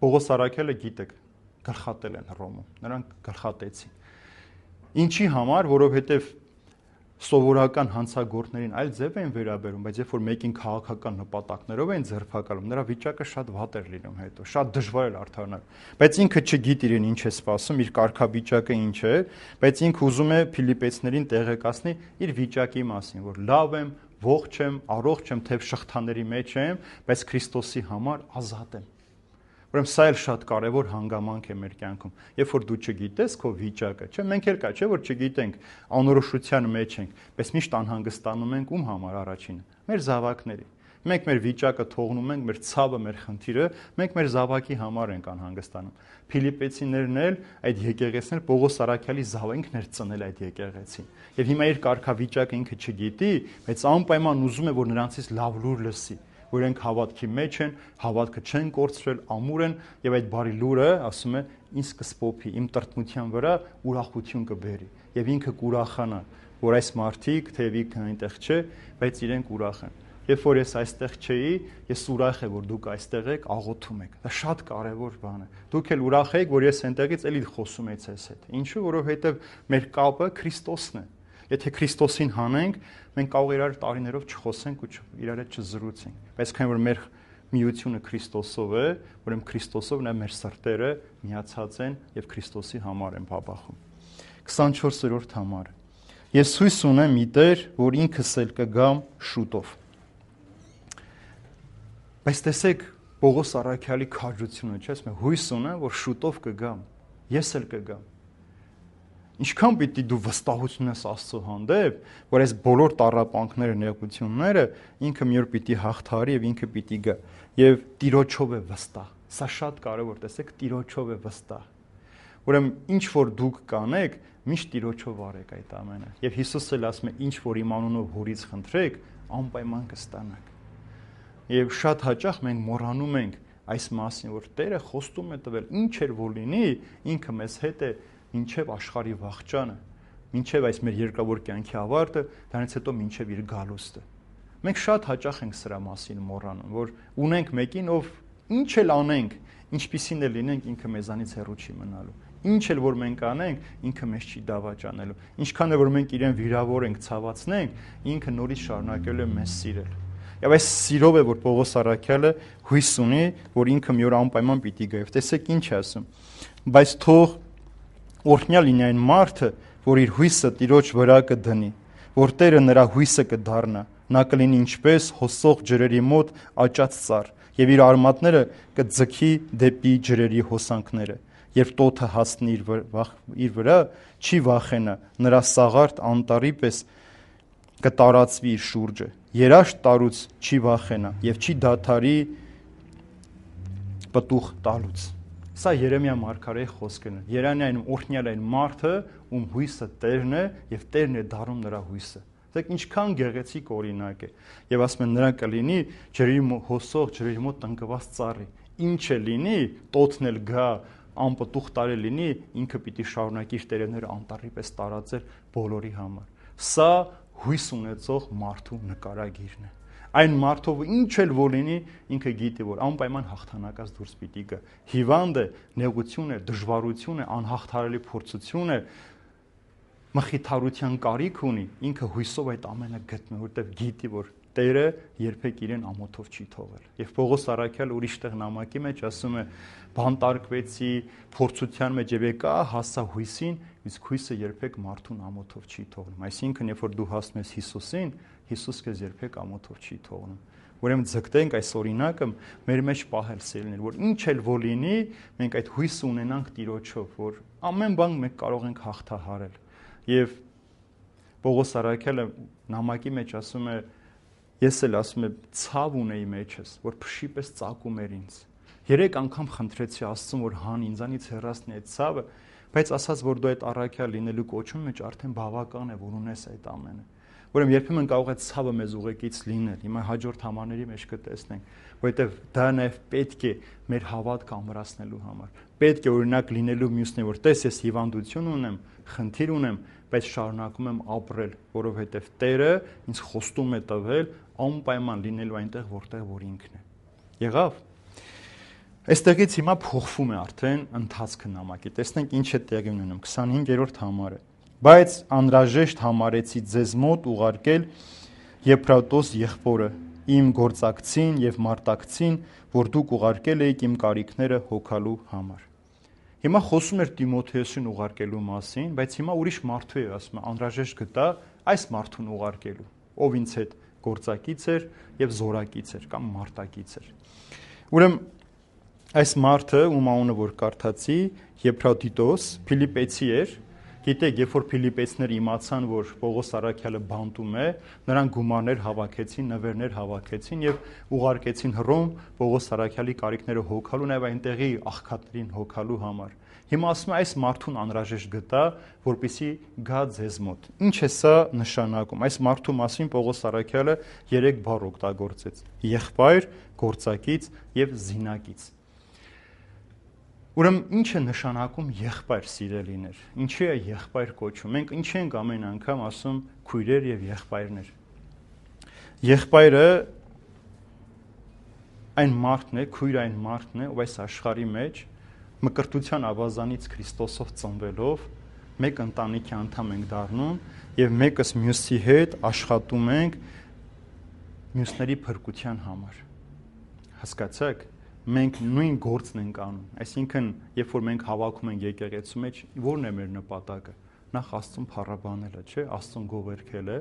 Պողոս Արաքյալը գիտեք, գլխատել են Հռոմում, նրանք գլխատեցին։ Ինչի համար, որովհետև սովորական հանցագործներին այլ ձև են վերաբերում, բայց երբ որ մեկին քաղաքական նպատակներով են ձերբակալում, նրա վիճակը շատ վատ էր լինում հետո, շատ դժվար էր արդարանալ։ Բայց ինքը չգիտի իրեն ինչ է սպասում, իր կարգավիճակը ինչ է, բայց ինքը ուզում է Փիլիպեցիներին տեղեկացնի իր վիճակի մասին, որ լավ եմ, ողջ եմ, առողջ եմ, թեև շղթաների մեջ եմ, բայց Քրիստոսի համար ազատ եմ։ Ուրեմն սա էլ շատ կարևոր հանգամանք է մեր կյանքում։ Երբ որ դու չգիտես քո վիճակը, չէ՞, մենք էլ կա, չէ՞ որ չգիտենք, անորոշության մեջ ենք, բայց միշտ անհանգստանում ենք ում համար առաջինը։ Մեր զավակների։ Մենք մեր վիճակը թողնում ենք, մեր ցավը, մեր խնդիրը, մենք մեր զավակի համար ենք անհանգստանում։ Փիլիպեցիներն էլ այդ եկեղեցիներ Պողոս Արաքյալի զավակն էր ծնել այդ եկեղեցին։ Եվ հիմա իր կարգավիճակը ինքը չգիտի, բայց անպայման ուզում է, որ նրանցից լավ լուր լսի, որ իրենք հավատքի մեջ են, հավատքը չեն կորցրել, ամուր են, եւ այդ բարի լուրը, ասում է, ինձ կսպոփի, իմ տրտմության վրա ուրախություն կբերի, եւ ինքը կուրախանա, որ այս մարդիկ, թեև ինքը այնտեղ չէ, բայց իրենք ուրախ են։ Երբ որ ես այստեղ չէի, ես ուրախ եմ, որ դուք այստեղ եք, աղոթում եք։ Դա շատ կարևոր բան է։ Դուք էլ ուրախ եք, որ ես այնտեղից էլի խոսում եմ ձեզ հետ։ Ինչու՞, որովհետեւ մեր կապը Քրիստոսն է։ Եթե Քրիստոսին հանենք, մենք կարող իրար տարիներով չխոսենք ու իրար հետ չզրուցենք։ Բայց քանի որ մեր միությունը Քրիստոսով է, ուրեմն Քրիստոսով նա մեր սրտերը միացած են եւ Քրիստոսի համար են բաբախում։ քսանչորսերորդ համարը։ Ես հույս ունեմ մի Տեր, որ ինքս էլ կգամ շուտով։ Բայց տեսեք Պողոս Արաքյալի քաջությունը, չէ՞, ասում է հույս ունեմ, որ շուտով կգամ։ Ես էլ կգամ։ Ինչքան պիտի դու վստահություն ես Աստծո հանդեպ, որ այս բոլոր տառապանքները, նեղությունները ինքը մի օր պիտի հաղթահարի եւ ինքը պիտի գա եւ Տիրոջով է վստահ։ Սա շատ կարեւոր, տեսեք, Տիրոջով է վստահ։ Ուրեմն ինչ որ դուք կանեք, միշտ Տիրոջով արեք այդ ամենը։ Եվ Հիսուսը էլ ասում է, ինչ որ իմ անունով Հորից խնդրեք, անպայման կստանաք։ Եվ շատ հաճախ մենք մոռանում ենք այս մասին, որ Տերը խոստում է տվել, ինչ էր որ լինի, ինքը մեզ հետ է մինչև աշխարհի վախճանը, մինչև այս մեր երկրավոր կյանքի ավարտը, դրանից հետո մինչև իր գալուստը։ Մենք շատ հաճախ ենք սրա մասին մոռանում, որ ունենք մեկին, ով ինչ էլ անենք, ինչպիսին էլ լինենք, ինքը մեզանից հեռու չի մնալու։ Ինչ էլ որ մենք անենք, ինքը մեզ չի դավաճանելու։ Ինչքան էլ որ մենք իրեն վիրավորենք, ցավացնենք, ինքը նորից շարունակելու է մեզ սիրել։ Եվ այս սիրով է, որ Պողոս Արաքյալը հույս ունի, որ ինքը մի օր անպայման պիտի գա։ Տեսեք ինչ է ասում։ Բայց թող օրհնյալ լինի այն մարդը, որ իր հույսը Տիրոջ վրա կդնի, որ Տերը նրա հույսը կդառնա, Նա կլինի ինչպես հոսող ջրերի մոտ աճած ծառ, եւ իր արմատները կձգի դեպի ջրերի հոսանքները, եւ տոթը հասնի իր վրա, չի վախենա, նրա սաղարթ անտառի պես կտարածվի իր շուրջը, երաշտ տարուց չի վախենա եւ չի դադարի պտուղ տալուց։ Սա Երեմիա մարգարեի խոսքն է։ Երանային օրհնյալ այն մարդը, ում հույսը Տերն է եւ Տերն է դառնում նրա հույսը։ Դեք ինչքան գեղեցիկ օրինակ է։ Եվ ասում են նրան կլինի ջրի հոսող ջրերի մոտ տնկված ծառի։ Ինչ է լինի, տոթն էլ գա, անպտուղ տարի լինի, ինքը պիտի շարունակի իր տերևները անտառի պես տարածել բոլորի համար։ Սա հույս ունեցող մարդու նկարագիրն է։ Այն մարդով ինչ էլ որ լինի, ինքը գիտի, որ անպայման հաղթանակած դուրս պիտի գա։ Հիվանդ է, նեղություն է, դժվարություն է, անհաղթարելի փորձություն է, մխիթարության կարիք ունի, ինքը հույսով այդ ամենը գտնում, որտեղ գիտի, որ Տերը երբեք իրեն ամոթով չի թողել։ Եվ Պողոս առաքյալ ուրիշ տեղ նամակի մեջ ասում է. բանտարկվեցի, փորձության մեջ եւ եկա հասա հույսին, իսկ հույսը երբեք մարդուն ամոթով չի թողնում։ Այսինքն, երբ որ դու հասնում ես Հիսուսին, Հիսուս քեզ երբեք ամոթով չի թողնում։ Ուրեմն ձգտենք այս օրինակը մեր մեջ պահել սիրելիներ, որ ինչ էլ որ լինի, մենք այդ հույսը ունենանք Տիրոջով, որ ամեն բան մենք կարող ենք հաղթահարել։ Եվ Պողոս առաքյալը նամակի մեջ ասում է. ես էլ ասում եմ ցավ ունեի մեջս, որ փշի պես ծակում էր ինձ։ Երեք անգամ խնդրեցի Աստծուն, որ հան ինձանից հեռացնի այդ ցավը, բայց ասաց, որ դու այդ առաքյալ լինելու կոչում մեջ արդեն բավական է, որ ունես այդ ամենը։ Ուրեմն երբեմն կարող է ցավը մեզ ուղեկից լինել։ Հիմա հաջորդ համարների մեջ կտեսնենք, որովհետև դա նաև պետք է մեր հավատքը ամրացնելու համար։ Պետք է օրինակ լինելու մյուսն է, որ տես ես հիվանդություն ունեմ, խնդիր ունեմ, բայց շարունակում եմ ապրել, որովհետև Տերը ինձ խոստում է տվել անպայման լինելու այնտեղ, որտեղ որ ինքն է։ Եղավ։ Այստեղից հիմա փոխվում է արդեն ընթացքը նամակի։ Տեսնենք ինչ է տեղի ունենում քսանհինգերորդ համարը։ Բայց անհրաժեշտ համարեցի ձեզ մոտ ուղարկել Եփրատոս եղբորը, իմ գործակցին եւ մարտակցին, որ դուք ուղարկել եք իմ կարիքները հոգալու համար։ Հիմա խոսում էր Տիմոթեոսին ուղարկելու մասին, բայց հիմա ուրիշ մարդու է ասում, անհրաժեշտ գտա այս մարդուն ուղարկելու, ով ինձ հետ գործակից էր եւ զորակից էր կամ մարտակից էր։ Ուրեմն այս մարդը, ում անունը որ կարդացի, Եփրատիտոս, Փիլիպեցի էր։ Գիտեք, երբ որ Փիլիպեցիները իմացան, որ Պողոս առաքյալը բանտում է, նրանք գումարներ հավաքեցին, նվերներ հավաքեցին եւ ուղարկեցին Հռոմ Պողոս առաքյալի կարիքները հոգալու, նաեւ այնտեղի աղքատներին հոգալու համար։ Հիմա ասում է այս մարդուն անհրաժեշտ գտա, որպեսի գա ձեզ մոտ։ Ինչ է սա նշանակում։ Այս մարդու մասին Պողոս առաքյալը երեք բառ օգտագործեց. եղբայր, գործակից եւ զինակից։ Ուրեմն ինչ է նշանակում եղբայր սիրելիներ։ Ինչի է եղբայր կոչում։ Մենք ինչ ենք ամեն անգամ ասում քույրեր եւ եղբայրներ։ Եղբայրը այն մարդն է, քույրը այն մարդն է, ով այս աշխարհի մեջ մկրտության ավազանից Քրիստոսով ծնվելով մեկ ընտանիքի անդամ ենք դառնում եւ մեկս մյուսի հետ աշխատում ենք մյուսների փրկության համար։ Հասկացաք, մենք նույն գործն ենք անում։ Այսինքն, երբ որ մենք հավաքում ենք եկեղեցու մեջ, ո՞րն է մեր նպատակը։ Նախ Աստծուն փառաբանելը, չէ՞, Աստծուն գովերգելը,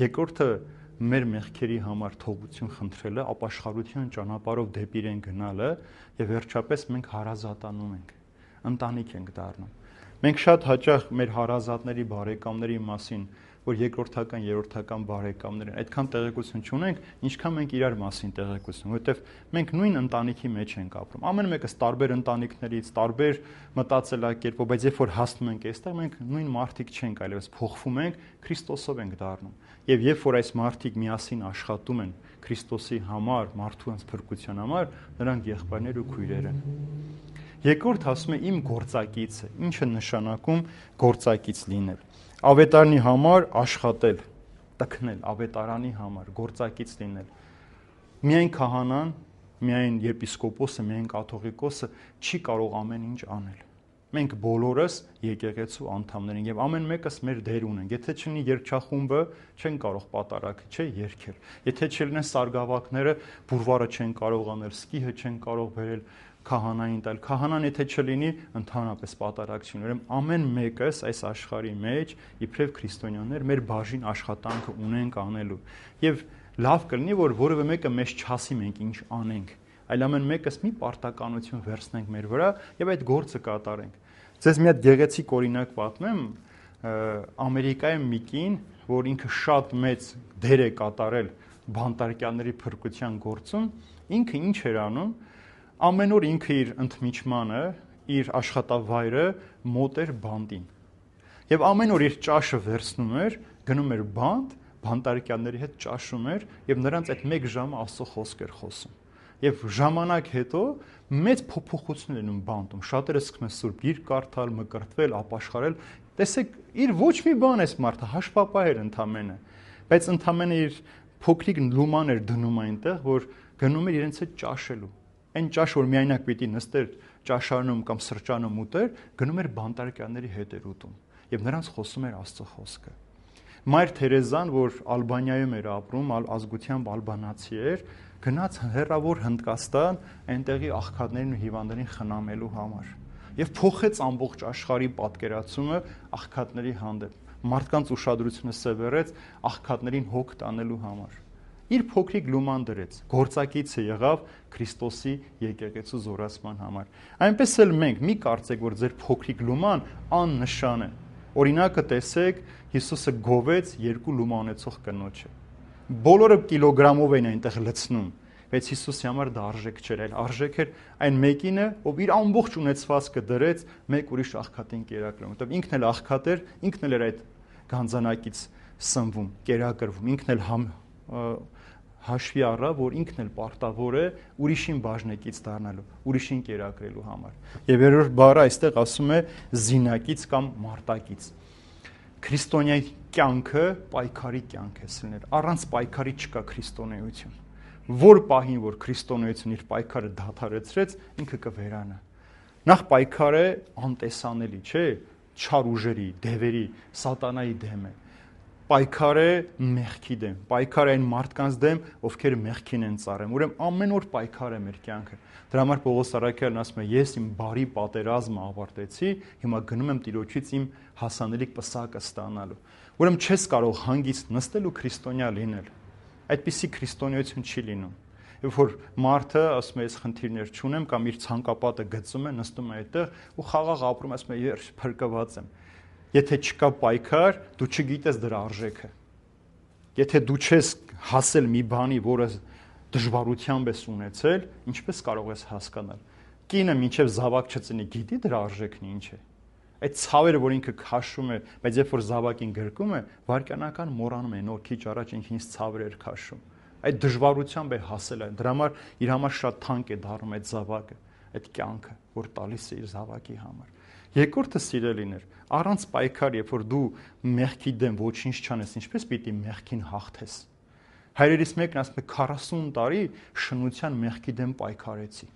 երկրորդը մեր մեղքերի համար թողություն խնդրելը, ապաշխարության ճանապարհով դեպի իրեն գնալը եւ վերջապես մենք հարազատանում ենք, ընտանիք ենք դառնում։ Մենք շատ հաճախ մեր հարազատների, բարեկամների մասին, որ երկրորդական, երրորդական բարեկամներ են, այդքան տեղեկություն չունենք, ինչքան մենք իրար մասին տեղեկություն, որովհետեւ մենք նույն ընտանիքի մեջ ենք ապրում։ Ամեն մեկս տարբեր ընտանիքներից, տարբեր մտածելակերպով, բայց երբ որ հասնում ենք այստեղ, մենք նույն մարդիկ չենք, այլևս փոխվում ենք, Քրիստոսով ենք դառնում։ Եվ երբ որ այս մարդիկ միասին աշխատում են Քրիստոսի համար, մարդու անց փրկության համար, նրանք եղբայրներ ու քույրեր են։ Երկրորդ ասում է իմ գործակիցը, ինչը նշանակում գործակից լինել։ Ավետարանի համար աշխատել, տքնել, ավետարանի համար գործակից լինել։ Միայն քահանան, միայն եպիսկոպոսը, միայն կաթողիկոսը չի կարող ամեն ինչ անել։ Մենք բոլորս եկեղեցու անդամներ ենք եւ ամեն մեկս մեր դեր ունենք։ Եթե չլինի երգչախումբը, չեն կարող պատարագ, չէ, երգել։ Եթե չլինեն սարգսակները, բուրվարը չեն կարող անել, սկիհը չեն կարող բերել, քահանային տալ։ Քահանան եթե չլինի, ընդհանրապես պատարագ չի։ Ուրեմն ամեն մեկս այս աշխարհի մեջ իբրև քրիստոնյաներ մեր բաժին աշխատանքը ունենք անելու։ Եվ լավ կլինի, որ որևէ մեկը մեզ չասի մենք ինչ անենք, այլ ամեն մեկս մի պարտականություն վերցնենք մեր վրա եւ այդ գործը կատարենք։ Ձեզ մի հատ գեղեցիկ օրինակ պատմեմ, Ամերիկայում մի կին, որ ինքը շատ մեծ դեր է կատարել բանտարկյալների փրկության գործում, ինքը ինչ էր անում, ամեն օր ինքը իր ընդմիջմանը, իր աշխատավայրը մոտ էր բանտին։ Եվ ամեն օր իր ճաշը վերցնում էր, գնում էր բանտ, բանտարկյալների հետ ճաշում էր եւ նրանց այդ մեկ ժամը Աստծո խոսք էր խոսում։ Եվ ժամանակ հետո մեծ փոփոխություն լինում բանտում։ Շատերը սկսում են սուրբ գիրք կարդալ, մկրտվել, ապաշխարել։ Տեսեք, իր ոչ մի բան էս մարդը հաշվապահ էր ընդամենը, բայց ընդամենը իր փոքրիկ լուման էր դնում այնտեղ, որ գնում էր իրենց հետ ճաշելու։ Այն ճաշ, որ միայնակ պիտի նստեր ճաշարանում կամ սրճանում ուտեր, գնում էր բանտարկյալների հետ էր ուտում եւ նրանց խոսում էր Աստծո խոսքը։ Մայր Թերեզան, որ Ալբանիայում էր ապրում, ազգությամբ ալբանացի էր, գնաց հեռավոր Հնդկաստան այնտեղի աղքատներին ու հիվանդներին խնամելու համար եւ փոխեց ամբողջ աշխարհի պատկերացումը աղքատների հանդեպ։ Մարդկանց ուշադրությունը սևեռեց աղքատներին հոգ տանելու համար։ Իր փոքրիկ լուման դրեց, գործակիցը եղավ Քրիստոսի եկեղեցու զորացման համար։ Այնպես էլ մենք մի կարծեք, որ ձեր փոքրիկ լուման աննշան է։ Օրինակը տեսեք, Հիսուսը գովեց երկու լումա ունեցող կնոջը։ Բոլորը կիլոգրամով էին այնտեղ լցնում, բայց Հիսուսի համար դա արժեք չէր, այլ արժեք էր այն մեկինը, ով իր ամբողջ ունեցվածքը դրեց մեկ ուրիշ աղքատին կերակրում։ Որտեղ ինքն էլ աղքատ էր, ինքն էլ էր այդ գանձանակից սնվում, կերակրվում, ինքն էլ համ հաշվի առա, որ ինքն էլ պարտավոր է ուրիշին բաժնեկից դառնալու, ուրիշին կերակրելու համար։ Եվ երրորդ բառը այստեղ ասում է զինակից կամ մարտակից։ Քրիստոնյայի կյանքը պայքարի կյանք է սիրելիներ։ Առանց պայքարի չկա քրիստոնեություն։ Որ պահին, որ քրիստոնեությունը իր պայքարը դադարեցրեց, ինքը կվերանա։ Նախ պայքարը անտեսանելի, չէ՞, չար ուժերի, դևերի, սատանայի դեմ է։ Պայքար է մեղքի դեմ, պայքար է այն մարդկանց դեմ, ովքեր մեղքին են ծառայում։ Ուրեմն ամեն օր պայքար է մեր կյանքը։ Դրա համար Պողոս առաքյալն ասում է. ես իմ բարի պատերազմը ավարտեցի, հիմա գնում եմ Տիրոջից իմ հասանելիք պսակը ստանալու։ Ուրեմն չես կարող հանգիստ նստել ու քրիստոնյա լինել։ Այդպիսի քրիստոնեություն չի լինում։ Երբ որ մարդը ասում է ես խնդիրներ չունեմ կամ իր ցանկապատը գծում է, նստում է այդտեղ ու խաղաղ ապրում, ասում է ես փրկված եմ։ Եթե չկա պայքար, դու չգիտես դրա արժեքը։ Եթե դու չես հասել մի բանի, որը դժվարությամբ ես ունեցել, ինչպես կարող ես հասկանալ։ Կինը մինչև զավակ չծնի, գիտի դրա արժեքն ինչ է։ Այդ ցավերը, որ ինքը քաշում է, բայց երբ որ զավակին գրկում է, վարքյանական մոռանում է, նոր քիչ առաջ ինքն ինձ ցավեր էր քաշում։ Այդ դժվարությամբ է հասել այն։ Դրա համար իր համար շատ թանկ է դառնում այդ զավակը, այդ կյանքը, որ տալիս է իր զավակի համար։ Երկրորդը սիրելիներ, առանց պայքար, երբ որ դու մեղքի դեմ ոչինչ չանես, ինչպես պիտի մեղքին հաղթես։ Հայրերից մեկն ասում է քառասուն տարի շնության մեղքի դեմ պայքարեցի։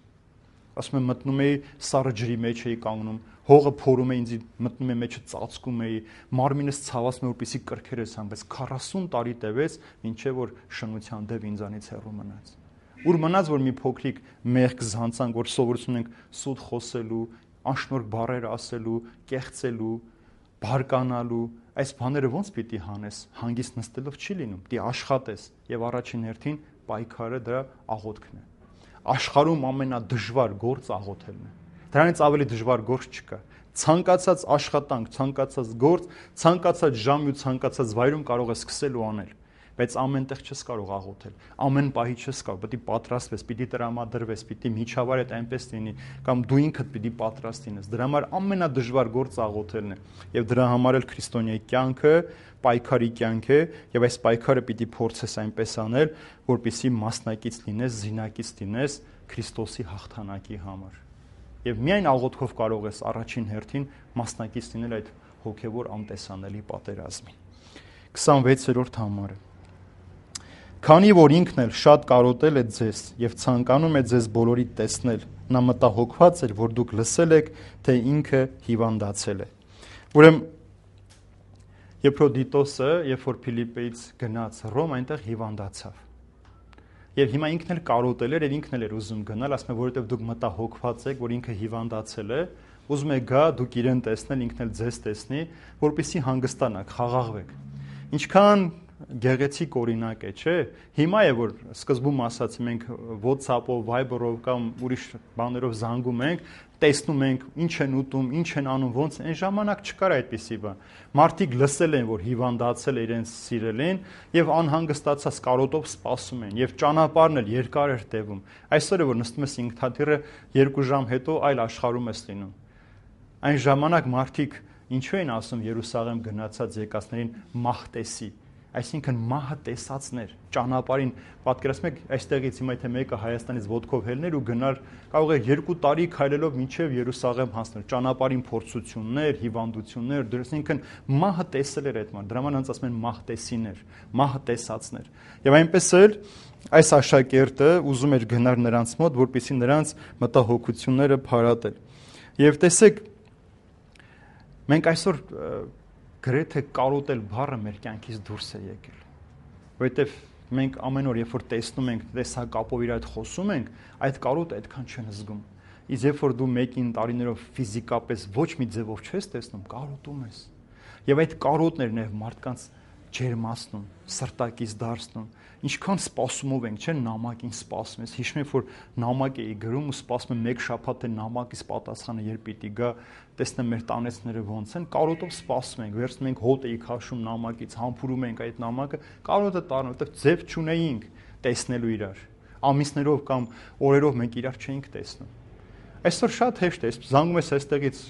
Ասում եմ մտնում էի սառը ջրի մեջ էի կանգնում, հողը փորում է ինձ, մտնում եմ մեջը ծածկում էի, մարմինս ցավացում է, որպեսզի կրքերս համ, բայց քառասուն տարի տևեց, մինչև որ շնության դեպ ինձանից հեռու մնաց։ Ուր մնաց, որ մի փոքրիկ մեղք զանցանք, որ սովորություն ենք սուտ խոսելու, անշնորհ բառեր ասելու, կեղծելու, բարկանալու, այս բաները ո՞նց պիտի հանես, հանգիստ նստելով չի լինում, պիտի աշխատես եւ առաջին հերթին պայքարը դրա աղոթքն է։ Աշխարհում ամենադժվար գործ աղոթելն է։ Դրանից ավելի դժվար գործ չկա։ Ցանկացած աշխատանք, ցանկացած գործ, ցանկացած ժամ ու ցանկացած վայրում կարող ես սկսել ու անել, բայց ամենտեղ չես կարող աղոթել։ Ամեն պահի չես կարող, պետք է պատրաստվես, պիտի տրամադրվես, պիտի միջավայրը այնպես լինի, կամ դու ինքդ պիտի պատրաստ լինես։ Դրա համար ամենադժվար գործը աղոթելն է, եւ դրա համար էլ քրիստոնյայի կյանքը պայքարի կյանք է, եւ այս պայքարը պիտի փորձես այնպես անել, որպեսզի մասնակից լինես, զինակից լինես Քրիստոսի հաղթանակի համար։ Եվ միայն աղոթքով կարող ես առաջին հերթին մասնակից լինել այդ հոգեվոր անտեսանելի պատերազմին։ քսանվեցերորդ համարը։ Քանի որ ինքն էլ շատ կարոտել է ձեզ եւ ցանկանում է ձեզ բոլորի տեսնել, նա մտահոգված էր, որ դուք լսել եք, թե ինքը հիվանդացել է։ Ուրեմն Եփրոդիտոսը, երբ որ Փիլիպպեից գնաց Ռոմ, այնտեղ հիվանդացավ։ Եվ հիմա ինքն էլ կարոտել էր, եւ ինքն էլ էր ուզում գնալ, ասում է, որովհետեւ դուք մտահոգված եք, որ ինքը հիվանդացել է, ուզում եք գա, դուք իրեն տեսնել, ինքն էլ ձեզ տեսնի, որպեսզի հանգստանաք, խաղաղվեք։ Ինչքան գեղեցիկ օրինակ է, չէ՞։ Հիմա է որ սկզբում ասացի մենք WhatsApp-ով, Viber-ով կամ ուրիշ բաներով զանգում ենք, տեսնում ենք ինչ են ուտում, ինչ են անում, ոնց այն ժամանակ չկար այդպիսի բան։ Մարդիկ լսել են, որ հիվանդացել է իրենց սիրելին եւ անհանգստացած կարոտով սպասում են եւ ճանապարհն էլ երկար էր տևում։ Այսօր է որ նստում ես ինքնաթիռը երկու ժամ հետո այլ աշխարհում ես լինում։ Այն ժամանակ մարդիկ ինչու են ասում Երուսաղեմ գնացած եկածներին մահտեսի, այսինքն մահը տեսածներ, ճանապարհին պատկերացնում եք այստեղից հիմա թե մեկը Հայաստանից ոտքով հելներ ու գնար, կարող է երկու տարի քայլելով մինչև Երուսաղեմ հասնել, ճանապարհին փորձություններ, հիվանդություններ, դրսինքն մահը տեսել էր այդ ման, դրա ման հենց ասում են մահտեսիներ, մահը տեսածներ։ Եվ այնպես էլ այս աշակերտը ուզում էր գնալ նրանց մոտ, որպեսզի նրանց մտահոգությունները փարատել։ Եվ տեսեք, մենք այսօր գրեթե կարոտել բառը մեր կյանքից դուրս է եկել, որովհետև մենք ամեն օր երբ որ տեսնում ենք, տեսակապով իր հետ խոսում ենք, այդ կարոտը այդքան չեն զգում։ Իսկ երբ որ դու մեկին տարիներով ֆիզիկապես ոչ մի ձևով չես տեսնում, կարոտում ես։ Եվ այդ կարոտներն են մարդկանց ջերմացնում, սրտակից դարձնում։ Ինչքան սպասումով ենք, չէ՞, նամակին սպասում ես։ Հիշում եք, որ նամակ էի գրում ու սպասում եմ մեկ շաբաթ է նամակից պատասխանը երբ պիտի գա, տեսնեմ մեր տանեցները ոնց են, կարոտով սպասում ենք, վերցնում ենք հոտ էի քաշում նամակից, համբուրում ենք այդ նամակը, կարոտը տառնում, որտեղ ձև չունեինք տեսնելու իրար։ Ամիսներով կամ օրերով մենք իրար չէինք տեսնում։ Այսօր շատ հեշտ է, զանգում ես այստեղից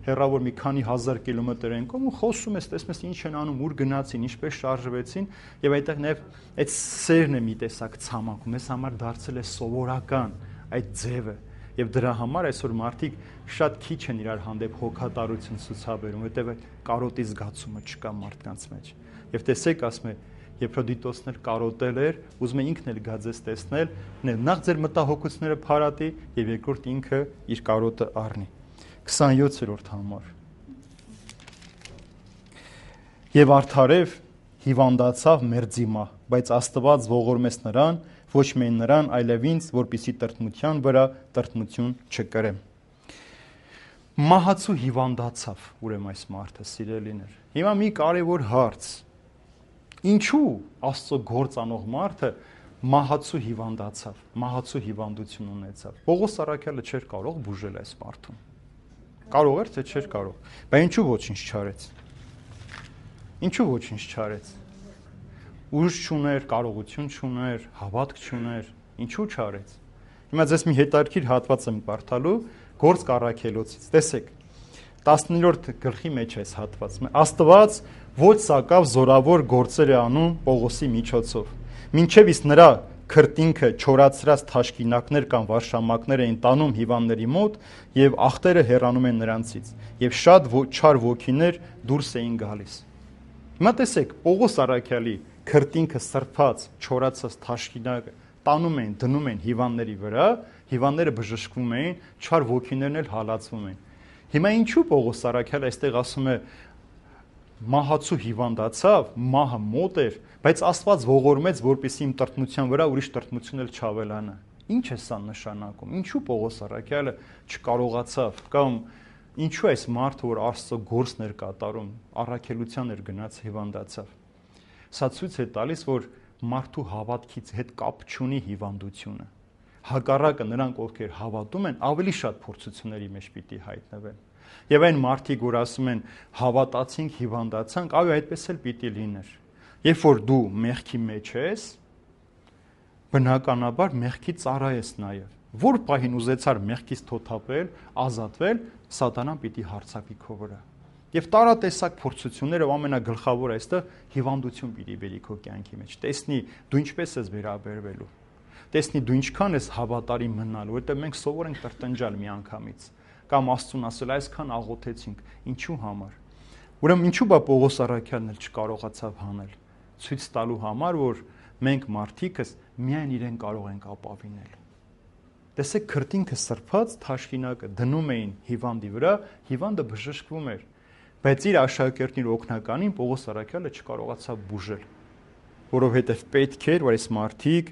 հեռավոր մի քանի հազար կիլոմետր են կողմ ու խոսում ես, տեսնում ես ինչ են անում, ուր գնացին, ինչպես շարժվեցին, եւ այդտեղ նաեւ այդ սերն է մի տեսակ ցամաք, մեզ համար դարձել է սովորական այդ ձևը, եւ դրա համար այսօր մարդիկ շատ քիչ են իրար հանդեպ հոգատարություն ցուցաբերում, որտեղ այդ կարոտի զգացումը չկա մարդկանց մեջ։ Եվ տեսեք, ասում է Եփրոդիտոսն էլ կարոտել էր, ուզում է ինքն էլ գա ձեզ տեսնել, նախ ձեր մտահոգությունները փարատի եւ երկրորդ ինքը իր կարոտը առնի։ քսանյոթերորդ համար Եվ արդարև հիվանդացավ մերձիմա, բայց Աստված ողորմեց նրան, ոչ միայն նրան, այլև ինձ, որպեսզի տրտմության վրա տրտմություն չկրեմ։ Մահացու հիվանդացավ, ուրեմն այս մարդը սիրելիներ։ Հիմա մի կարևոր հարց. ինչու Աստծո գործ անող մարդը մահացու հիվանդացավ, մահացու հիվանդություն ունեցավ։ Պողոս առաքյալը չէր կարող բուժել այս մարդուն։ Կարող էր, թե չէր կարող։ Բայց ինչու ոչինչ չարեց։ Ինչու ոչինչ չարեց։ Ուժ չուներ, կարողություն չուներ, հավատք չուներ, ինչու չարեց։ Հիմա ձեզ մի հետաքրքիր հատված եմ կարդալու Գործք առաքելոցից։ Տեսեք, տասներորդ գլխի մեջ է այս հատվածը։ Աստված ոչ սակավ զորավոր գործեր է անում Պողոսի միջոցով։ Մինչև իսկ նրա քրտինքը չորացրած թաշկինակներ կամ վարշամակներ էին տանում հիվանդների մոտ եւ ախտերը հեռանում են նրանցից եւ շատ չար ոգիներ դուրս էին գալիս։ Հիմա տեսեք, Պողոս առաքյալի քրտինքը սրբած, չորացած թաշկինակը տանում են, դնում են հիվանդների վրա, հիվանդները բժշկվում էին, չար ոգիներն էլ հալածվում են։ Հիմա ինչու Պողոս առաքյալը այստեղ ասում է մահացու հիվանդացավ, մահը մոտ էր, բայց Աստված ողորմեց, որպեսզի իմ տրտմության վրա ուրիշ տրտմություն էլ չավելանա։ Ինչ է սա նշանակում։ Ինչու Պողոս առաքյալը չկարողացավ կամ ինչու այս մարդը, որ Աստծո գործն էր կատարում, առաքելության էր գնաց հիվանդացավ։ Սա ցույց է տալիս, որ մարդու հավատքից հետ կապ չունի հիվանդությունը։ Հակառակը նրանք, ովքեր հավատում են, ավելի շատ փորձությունների մեջ պիտի հայտնվեն։ Եվ այն մարդիկ, որ ասում են հավատացինք, հիվանդացանք, այո, այդպես էլ պիտի լիներ։ Երբ որ դու մեղքի մեջ ես, բնականաբար մեղքի ծառա ես նաև։ Որ պահին ուզեցար մեղքից թոթափել, ազատվել, սատանան պիտի հարձակվի քո վրա։ Եվ տարատեսակ փորձությունները ամենագլխավորը այստեղ հիվանդություն պիտի բերի քո կյանքի մեջ։ Տեսնի դու ինչպես ես վերաբերվելու։ Տեսնի դու ինչքան ես հավատարիմ մնալու, որտեղ մենք սովոր ենք տրտնջալ միանգամից կամ Աստծուն ասել այսքան աղոթեցինք, ինչու համար։ Ուրեմն ինչու բա Պողոս առաքյալն էլ չկարողացավ հանել, ցույց տալու համար, որ մենք մարդիկս միայն իրեն կարող ենք ապավինել։ Տեսեք, քրտինքը սրբած թաշկինակը դնում էին հիվանդի վրա, հիվանդը բժշկվում էր, բայց իր աշակերտին օգնականին Պողոս առաքյալը չկարողացավ բուժել, որովհետև պետք էր, որ այս մարդիկ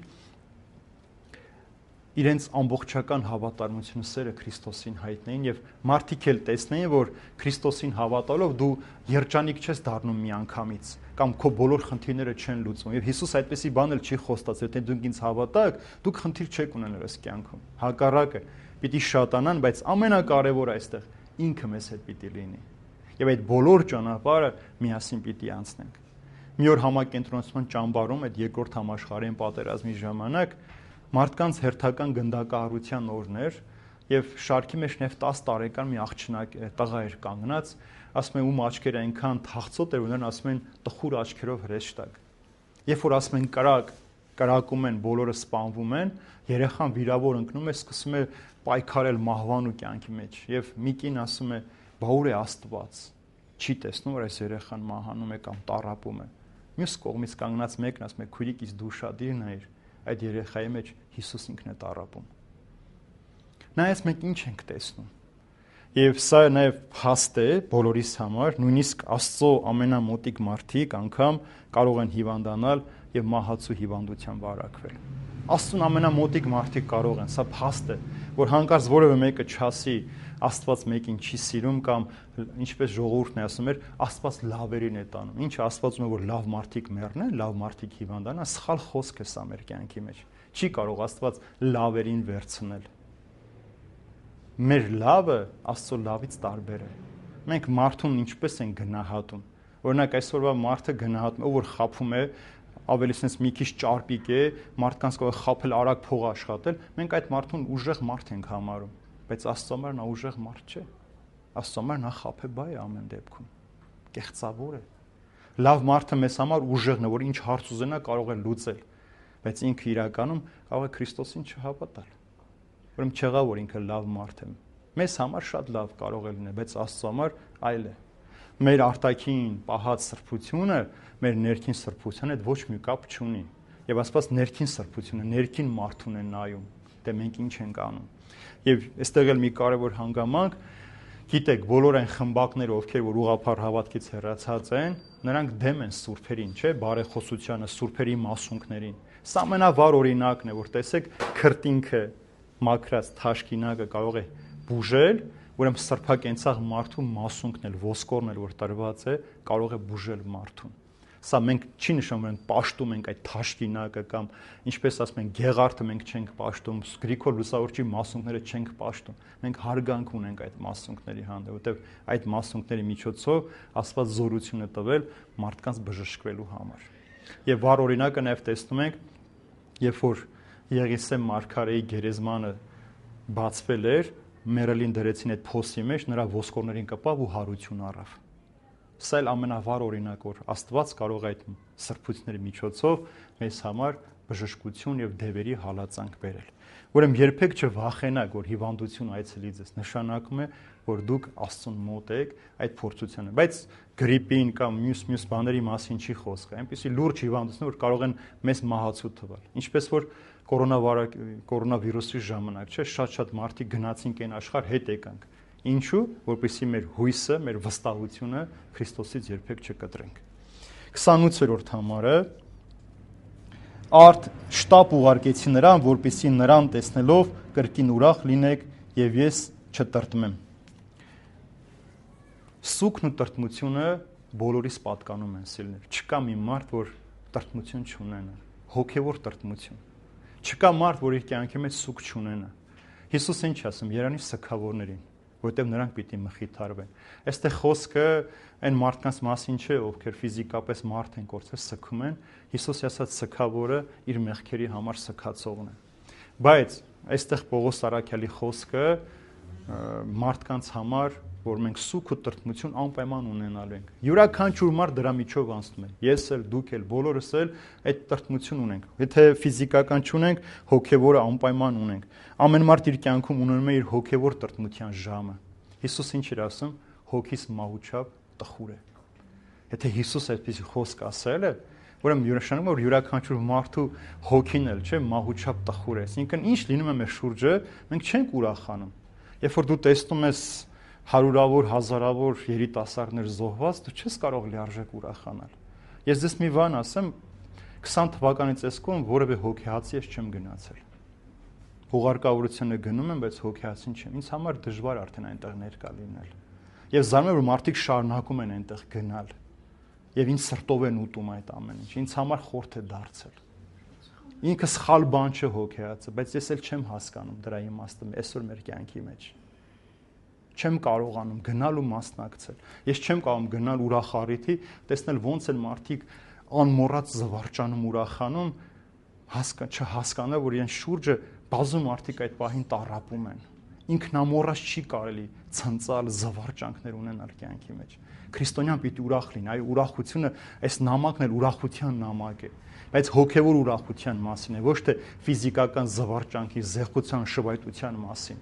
իրենց ամբողջական հավատարմությունը սերը Քրիստոսին հայտնեին եւ մարդիկ էլ տեսնեին, որ Քրիստոսին հավատալով դու երջանիկ չես դառնում միանգամից կամ քո բոլոր խնդիրները չեն լուծվում եւ Հիսուս այդպեսի բան էլ չի խոստացել, թե դուք ինձ հավատաք, դուք խնդիր չեք ունենալ այս կյանքում։ Հակառակը, պիտի շատանան, բայց ամենակարևորը այստեղ ինքը մեզ հետ պիտի լինի։ Եվ այդ բոլոր ճանապարհը միասին պիտի անցնենք։ Մի օր համակենտրոնացման ճամբարում այդ երկրորդ համաշխարհային պատերազմի ժամանակ մարդկանց հերթական գնդակահարության օրն էր եւ շարքի մեջ նաեւ տասը տարեկան մի աղջնակ տղա էր կանգնած, ասում են ում աչքերը այնքան թախծոտ էր ունեն, ասում են տխուր աչքերով հրեշտակ։ Երբ որ ասում են կրակ, կրակում են, բոլորը սպանվում են, երեխան վիրավոր ընկնում է, սկսում է պայքարել մահվան ու կյանքի մեջ եւ մի կին ասում է բա ուր է Աստված, չի տեսնում որ այս երեխան մահանում է կամ տառապում է։ Մյուս կողմից կանգնած մեկն ասում է քույրիկ իս դու շատ դիրն ես այդ երեխայի մեջ Հիսուս ինքն է տառապում։ Նայած մենք ինչ ենք տեսնում։ Եվ սա նաև փաստ է բոլորիս համար, նույնիսկ Աստծո ամենամոտիկ մարդիկ անգամ կարող են հիվանդանալ եւ մահացու հիվանդության վարակվել։ Աստծուն ամենամոտիկ մարդիկ կարող են, սա փաստ է, որ հանկարծ որևէ մեկը չասի Աստված մեկին չի սիրում կամ ինչպես ժողովուրդն է ասում էր, Աստված լավերին է տանում։ Ինչ Աստվածում է որ լավ մարդիկ մեռնեն, լավ մարդիկ հիվանդանան, սխալ խոսք է սա մեր կյանքի մեջ։ Չի կարող Աստված լավերին վերցնել։ Մեր լավը Աստծո լավից տարբեր է։ Մենք մարդուն ինչպես են գնահատում։ Օրինակ այսօրվա մարդը գնահատում է, ով որ խափում է, ավելի sense մի քիչ ճարպիկ է, մարդկանց կարող է խափել, արագ փող աշխատել, մենք այդ մարդուն ուժեղ մարդ ենք համարում, բայց Աստծո համար նա ուժեղ մարդ չէ։ Աստծո համար նա խափեբայ է ամեն դեպքում։ Կեղծավոր է։ Լավ մարդը մեզ համար ուժեղն է, որ ինչ հարց ուզենա կարող է լուծել, բայց ինքը իրականում կարող է Քրիստոսին չհավատալ։ Ուրեմն չեղա որ ինքը լավ մարդ է։ Մեզ համար շատ լավ կարող է լինել, բայց Աստծո համար այլ է։ Մեր արտաքին պահած սրբությունը մեր ներքին սրբության հետ ոչ մի կապ չունի։ Եվ Աստված ներքին սրբությունը, ներքին մարդուն է նայում, դե մենք ինչ ենք անում։ Եվ այստեղ էլ մի կարևոր հանգամանք, գիտեք, բոլոր այն խմբակները, ովքեր որ ուղղափառ հավատքից հեռացած են, նրանք դեմ են սուրբերին, չէ, բարեխոսությանը, սուրբերի մասունքներին։ Սա ամենավառ օրինակն է, որ տեսեք, քրտինքը մաքրած թաշկինակը կարող է բուժել, ուրեմն սրբակենցաղ մարդու մասունքն էլ, ոսկորն էլ որ տրված է, կարող է բուժել մարդուն։ Սա մենք չի նշանակում են պաշտում ենք այդ թաշկինակը կամ ինչպես ասում են գեղարդը մենք չենք պաշտում, Գրիգոր Լուսավորչի մասունքները չենք պաշտում։ Մենք հարգանք ունենք այդ մասունքների հանդեպ, որտեղ այդ մասունքների միջոցով Աստված զորություն է տվել մարդկանց բժշկվելու համար։ Եվ վառ օրինակը նաև տեսնում ենք, երբ որ Եղիսեմ մարգարեի գերեզմանը բացվել էր, մերելին դրեցին այդ փոսի մեջ, նրա ոսկորներին կպավ ու հարություն առավ։ Սա էլ ամենավառ օրինակ որ Աստված կարող է այդ սրբությունների միջոցով մեզ համար բժշկություն եւ դևերի հալածանք բերել։ Ուրեմն երբեք չվախենաք, որ հիվանդություն այցելի ձեզ, նշանակում է, որ դուք Աստծուն մոտ եք այդ փորձությանը, բայց գրիպին կամ մյուս-մյուս բաների մասին չի խոսքը, այնպեսի լուրջ հիվանդություն, որ կարող են մեզ մահացու թվալ։ Ինչպես որ կորոնավիրուսի ժամանակ, չէ, շատ-շատ մարդիկ գնացինք այն աշխարհ հետ եկանք։ Ինչու՞, որպեսզի մեր հույսը, մեր վստահությունը Քրիստոսից երբեք չկտրենք։ քսանութերորդ համարը Արդ շտապ ուղարկեցի նրան, որպեսզի նրան տեսնելով կրկին ուրախ լինեք եւ ես չտրտմեմ։ Սուքն ու տրտմությունը բոլորիս պատկանում են սիրելիներ։ Չկա մի մարդ, որ տրտմություն չունենա, հոգեվոր տրտմություն։ Չկա մարդ, որ իր կյանքի մեջ սուք չունենա։ Հիսուս ինչ ասում, երանի սքավորներին, որտեղ նրանք պիտի մխիթարվեն։ Այստեղ խոսքը այն մարդկանց մասին չէ, ովքեր ֆիզիկապես մարդ են կորցրել, սգում են, Հիսուսի ասած սգավորը իր մեղքերի համար սգացողն է։ Բայց այստեղ Պողոս Արաքյալի խոսքը մարդկանց համար, որ մենք սուք ու տրտմություն անպայման ունենալու ենք։ Յուրաքանչյուր մարդ դրա միջով անցնում է։ Ես էլ, դուք էլ, բոլորս էլ այդ տրտմություն ունենք։ Եթե ֆիզիկական չունենք, հոգևորը անպայման ունենք։ Ամեն մարդ իր կյանքում ունենում է իր հոգևոր տրտմության ժամը։ Հիսուս ինչ էր ասում, հոգիս մահուչապ տխուր է։ Եթե Հիսուս այդպիսի խոսք ասել է, ուրեմն նշանակում է, որ յուրաքանչյուր մարդու հոգին էլ, չէ, մահուչապ տխուր է։ Այսինքն ինչ լինում է մեր շուրջը, մենք չենք ուրախանում։ Երբ որ դու տեսնում ես հարյուրավոր, հազարավոր երիտասարդներ զոհված, դու չես կարող լիարժեք ուրախանալ։ Ես ձեզ մի բան ասեմ, քսան թվականից էս կողմ որևէ հոգեհացի ես չեմ գնացել։ հուղարկավորությունը գնում եմ, բայց հոգեացին չեմ։ Ինձ համար դժվար արդեն այնտեղ ներկա լինել։ Եվ զարմանում եմ, որ մարդիկ շարունակում են այնտեղ գնալ։ Եվ ինձ սրտով են ուտում այդ ամեն ինչ։ Ինձ համար խորթ է դարձել։ Ինքը սխալ բան չէ հոգեացը, բայց ես էլ չեմ հասկանում դրա իմաստը այսօր մեր կյանքի մեջ։ Չեմ կարողանում գնալ ու մասնակցել։ Ես չեմ կարողանում գնալ ուրախ-առիթի, տեսնել ոնց են մարդիկ անմոռաց զվարճանում, ուրախանում, հասկա չհասկանալ, որ իրեն շուրջը բազում մարդիկ այդ պահին տառապում են։ Ինքնամոռաց չի կարելի ցնցալ, զվարճանքներ ունենալ կյանքի մեջ։ Քրիստոնյան պիտի ուրախ լինի, այ ուրախությունը, այս նամակն էլ ուրախության նամակ է, բայց հոգևոր ուրախության մասին է, ոչ թե ֆիզիկական զվարճանքի, զեղչության, շվայտության մասին։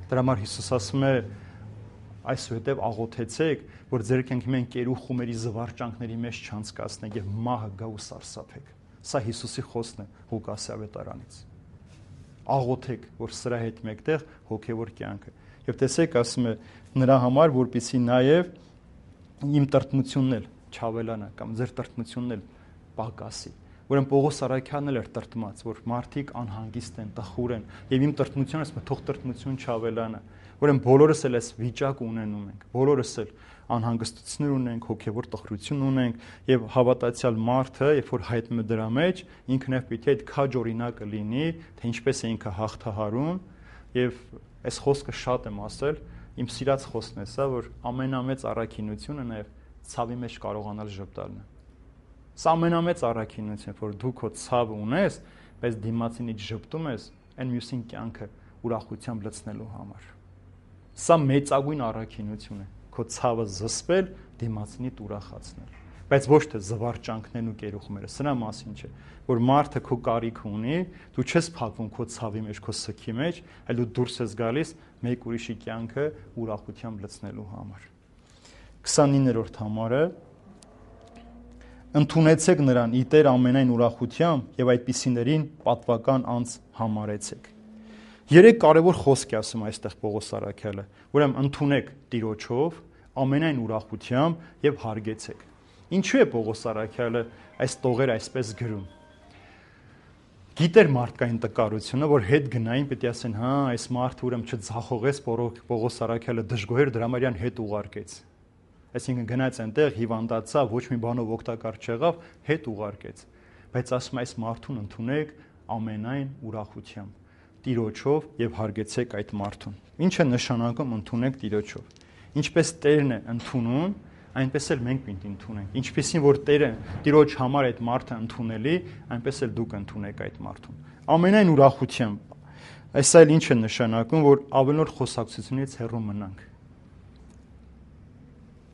Դրա համար Հիսուս ասում է, այսուհետև աղոթեցեք, որ ձեր կյանքի մեն կերու խումերի զվարճանքների մեջ չանցկացնեք եւ մահը գա ու սարսափեք։ Սա Հիսուսի խոսքն է Ղուկասի ավետարանից։ Աղոթեք, որ սրա հետ մեկտեղ հոգևոր կյանքը։ Եվ տեսեք, ասում է նրա համար, որպեսզի նաև իմ տրտմությունն էլ չավելանա կամ ձեր տրտմությունն էլ պակասի։ Ուրեմն Պողոս Արաքյանն էլ էր տրտմած, որ մարդիկ անհանգիստ են, տխուր են, եւ իմ տրտմությունը ասում է թող տրտմություն չավելանա։ Ուրեմն բոլորս էլ այս վիճակը ունենում ենք, բոլորս էլ անհանգստություններ ունենք, հոգևոր տխրություն ունենք, եւ հավատացյալ մարդը, երբ որ հայտնում է դրա մեջ, ինքն էլ պիտի այդ քաջ օրինակը լինի, թե ինչպես է ինքը հաղթահարում, եւ այս խոսքը շատ եմ ասել, իմ սիրած խոսքն է սա, որ ամենամեծ առաքինությունը նաեւ ցավի մեջ կարողանալ ժպտալն է։ Սա ամենամեծ առաքինությունը, որ դու քո ցավը ունես, բայց դիմացինից ժպտում ես, այն մյուսին կյանքը ուրախությամբ լցնելու համար։ Սա մեծագույն առաքինություն է, քո ցավը զսպել, դիմացինիդ ուրախացնել, բայց ոչ թե զվարճանքներն ու կերուխմերը, սրա մասին չէ, որ մարդը քո կարիքը ունի, դու չես փակվում քո ցավի մեջ, քո սքի մեջ, այլ դու դուրս ես գալիս մեկ ուրիշի կյանքը ուրախությամբ լցնելու համար։ քսանիններորդ համարը Ընդունեցեք նրան ի Տեր ամենայն ուրախությամբ եւ այդպիսիներին պատվական անձ համարեցեք։ Երեք կարևոր խոսք է ասում այստեղ Պողոս Արաքյալը, ուրեմն ընդունեք Տիրոջով ամենայն ուրախությամբ եւ հարգեցեք։ Ինչու է Պողոս Արաքյալը այս տողերը այսպես գրում։ Գիտեր մարդկային տկարությունը, որ հետ գնային պետք է ասեն, հա, այս մարդը ուրեմն չձախողեց Պողոս Արաքյալը դժգոհեր դրամարյան հետ ուղարկեց։ Այսինքն գնաց այնտեղ հիվանդացավ, ոչ մի բանով օգտակար չեղավ, հետ ուղարկեց։ Բայց ասում է այս մարդուն ընդունեք ամենայն ուրախությամբ, Տիրոջով եւ հարգեցեք այդ մարդուն։ Ինչ է նշանակում ընդունեք Տիրոջով։ Ինչպես Տերն է ընդունում, այնպես էլ մենք պիտի ընդունենք։ Ինչպեսին որ Տերը Տիրոջ համար այդ մարդը ընդունելի, այնպես էլ դուք ընդունեք այդ մարդուն։ Ամենայն ուրախությամբ։ Այս այլ ինչ է նշանակում, որ ավելորդ խոսակցությունից հեռու մնանք։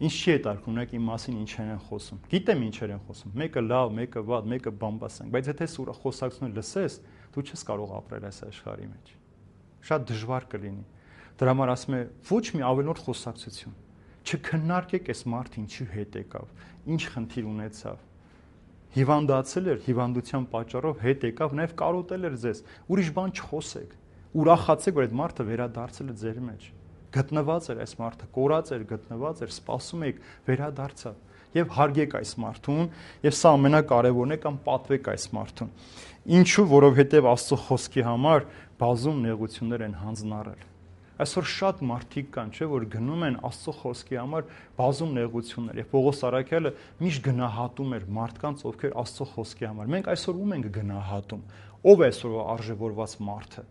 Ինչ չի հետարկում, ունեք իմ մասին ինչեր են խոսում։ Գիտեմ ինչեր են խոսում։ Մեկը լավ, մեկը վատ, մեկը բամբասանք, բայց եթե սուր խոսակցությունը լսես, դու չես կարող ապրել այս աշխարհի մեջ։ Շատ դժվար կլինի։ Դրա համար ասում է ոչ մի ավելորդ խոսակցություն։ Չքննարկեք այս մարդը ինչի հետ եկավ, ինչ խնդիր ունեցավ։ Հիվանդացել էր, հիվանդության պատճառով հետ եկավ, նաև կարոտել էր ձեզ։ Ուրիշ բան չխոսեք։ Ուրախացեք, որ այդ մարդը վերադարձել է ձեր մեջ։ Գտնված էր այս մարդը, կորած էր, գտնված էր, սպասում եք, վերադարձավ եւ հարգեք այս մարդուն, եւ սա ամենակարևորն է կամ պատվեք այս մարդուն։ Ինչու, որովհետեւ Աստծո խոսքի համար բազում նեղություններ են հանձնարարել։ Այսօր շատ մարդիկ կան, չէ, որ գնում են Աստծո խոսքի համար բազում նեղություններ, եւ Պողոս Արաքյալը միշտ գնահատում էր մարդկանց, ովքեր Աստծո խոսքի համար։ Մենք այսօր ում ենք գնահատում։ Ո՞վ է այսօր արժևորված մարդը։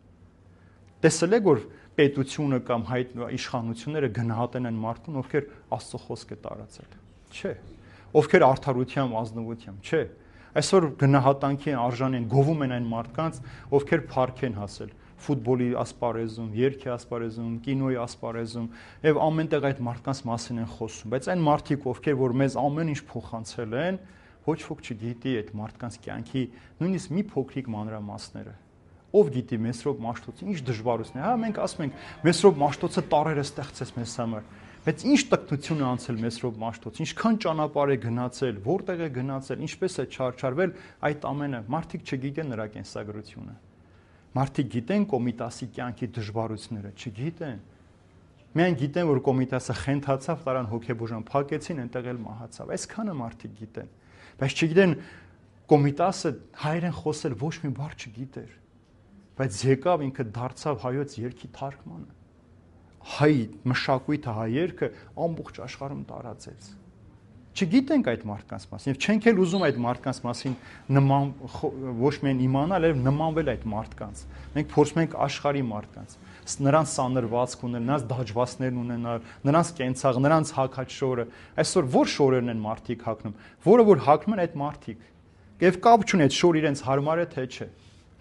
Տեսել եք, որ պետությունը կամ հայտ իշխանությունները գնահատեն են մարդուն, ովքեր Աստծո խոսքը տարածել։ Չէ։ Ովքեր արդարությամբ, ազնվությամբ, չէ։ Այսօր գնահատանքի արժան են, գովում են այն մարդկանց, ովքեր փառք են հասել ֆուտբոլի ասպարեզում, երգի ասպարեզում, կինոյի ասպարեզում, եւ ամենտեղ այդ մարդկանց մասին են խոսում, բայց այն մարդիկ, ովքեր որ մեզ ամեն ինչ փոխանցել են, ոչ ոք չգիտի այդ մարդկանց կյանքի նույնիսկ մի փոքրիկ մանրամասները։ Ով գիտի Մեսրոպ Մաշտոցը ինչ դժվարություն է։ Հա մենք ասում ենք Մեսրոպ Մաշտոցը տարերը ստեղծեց մեզ համար, բայց ինչ տկնություն է անցել Մեսրոպ Մաշտոցը, ինչքան ճանապարհ է գնացել, որտեղ է գնացել, ինչպես է չարչարվել, այդ ամենը մարդիկ չգիտեն նրա կենսագրությունը։ Մարդիկ գիտեն Կոմիտասի կյանքի դժվարությունները, չգիտեն։ Միայն գիտեն, որ Կոմիտասը խենթացավ, տարան հոգեբուժան, փակեցին, այնտեղ էլ մահացավ։ Այսքանը մարդիկ գիտեն, բայց չգիտեն Կոմիտասը հայերեն խոսել ոչ մի բառ չգիտեր։ բայց եկավ ինքը դարձավ հայոց երգի թարգմանը։ Հայ մշակույթը, հայ երգը ամբողջ աշխարհում տարածեց։ Չգիտենք այդ մարդկանց մասին, եւ չենք էլ ուզում այդ մարդկանց մասին նման ոչ միայն իմանալ, այլ նմանվել այդ մարդկանց։ Մենք փորձում ենք աշխարհի մարդկանց, նրանց սանրվածք ունել, նրանց դաջվածներն ունենալ, նրանց կենցաղ, նրանց հակաչորը։ Այսօր որ շորերն են մարդիկ հագնում, որը որ հագնում են այդ մարդիկ։ Եվ կապ չունի այդ շոր իրենց հարմար է թե չէ։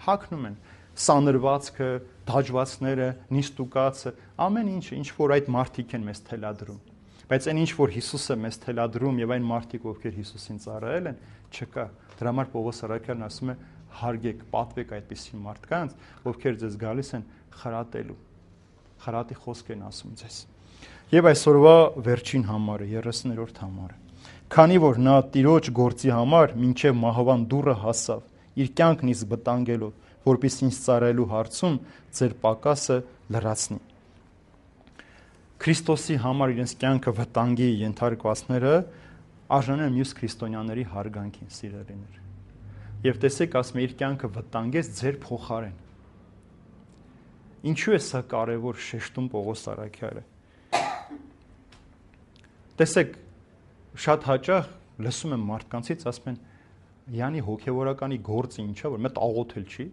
Հագնում են սանրվածքը, դաջվածները, նիստուկացը, ամեն ինչը, ինչ որ այդ մարդիկ են մեզ թելադրում։ Բայց այն ինչ որ Հիսուսը մեզ թելադրում եւ այն մարդիկ, ովքեր Հիսուսին ծառայել են, չկա։ Դրա համար Պողոս առաքյալն ասում է. հարգեք, պատվեք այդպիսի մարդկանց, ովքեր ձեզ գալիս են խրատելու։ Խրատի խոսք են ասում ձեզ։ Եվ այսօրվա վերջին համարը, երեսներորդ համարը։ Քանի որ նա Տիրոջ գործի համար մինչև մահվան դուռը հասավ, իր կյանքն իսկ վտանգելով, որպեսզի ինձ ծառայելու հարցում ձեր պակասը լրացնի։ Քրիստոսի համար իրենց կյանքը վտանգի ենթարկվածները արժան են մյուս քրիստոնյաների հարգանքին, սիրելիներ։ Եվ տեսեք, ասում է, իր կյանքը վտանգեց ձեր փոխարեն։ Ինչու է սա կարևոր շեշտում Պողոս առաքյալը։ Տեսեք, շատ հաճախ լսում եմ մարդկանցից, ասում են, Յանի հոգևորականի գործը ինչա, որ մետ աղոթել չի։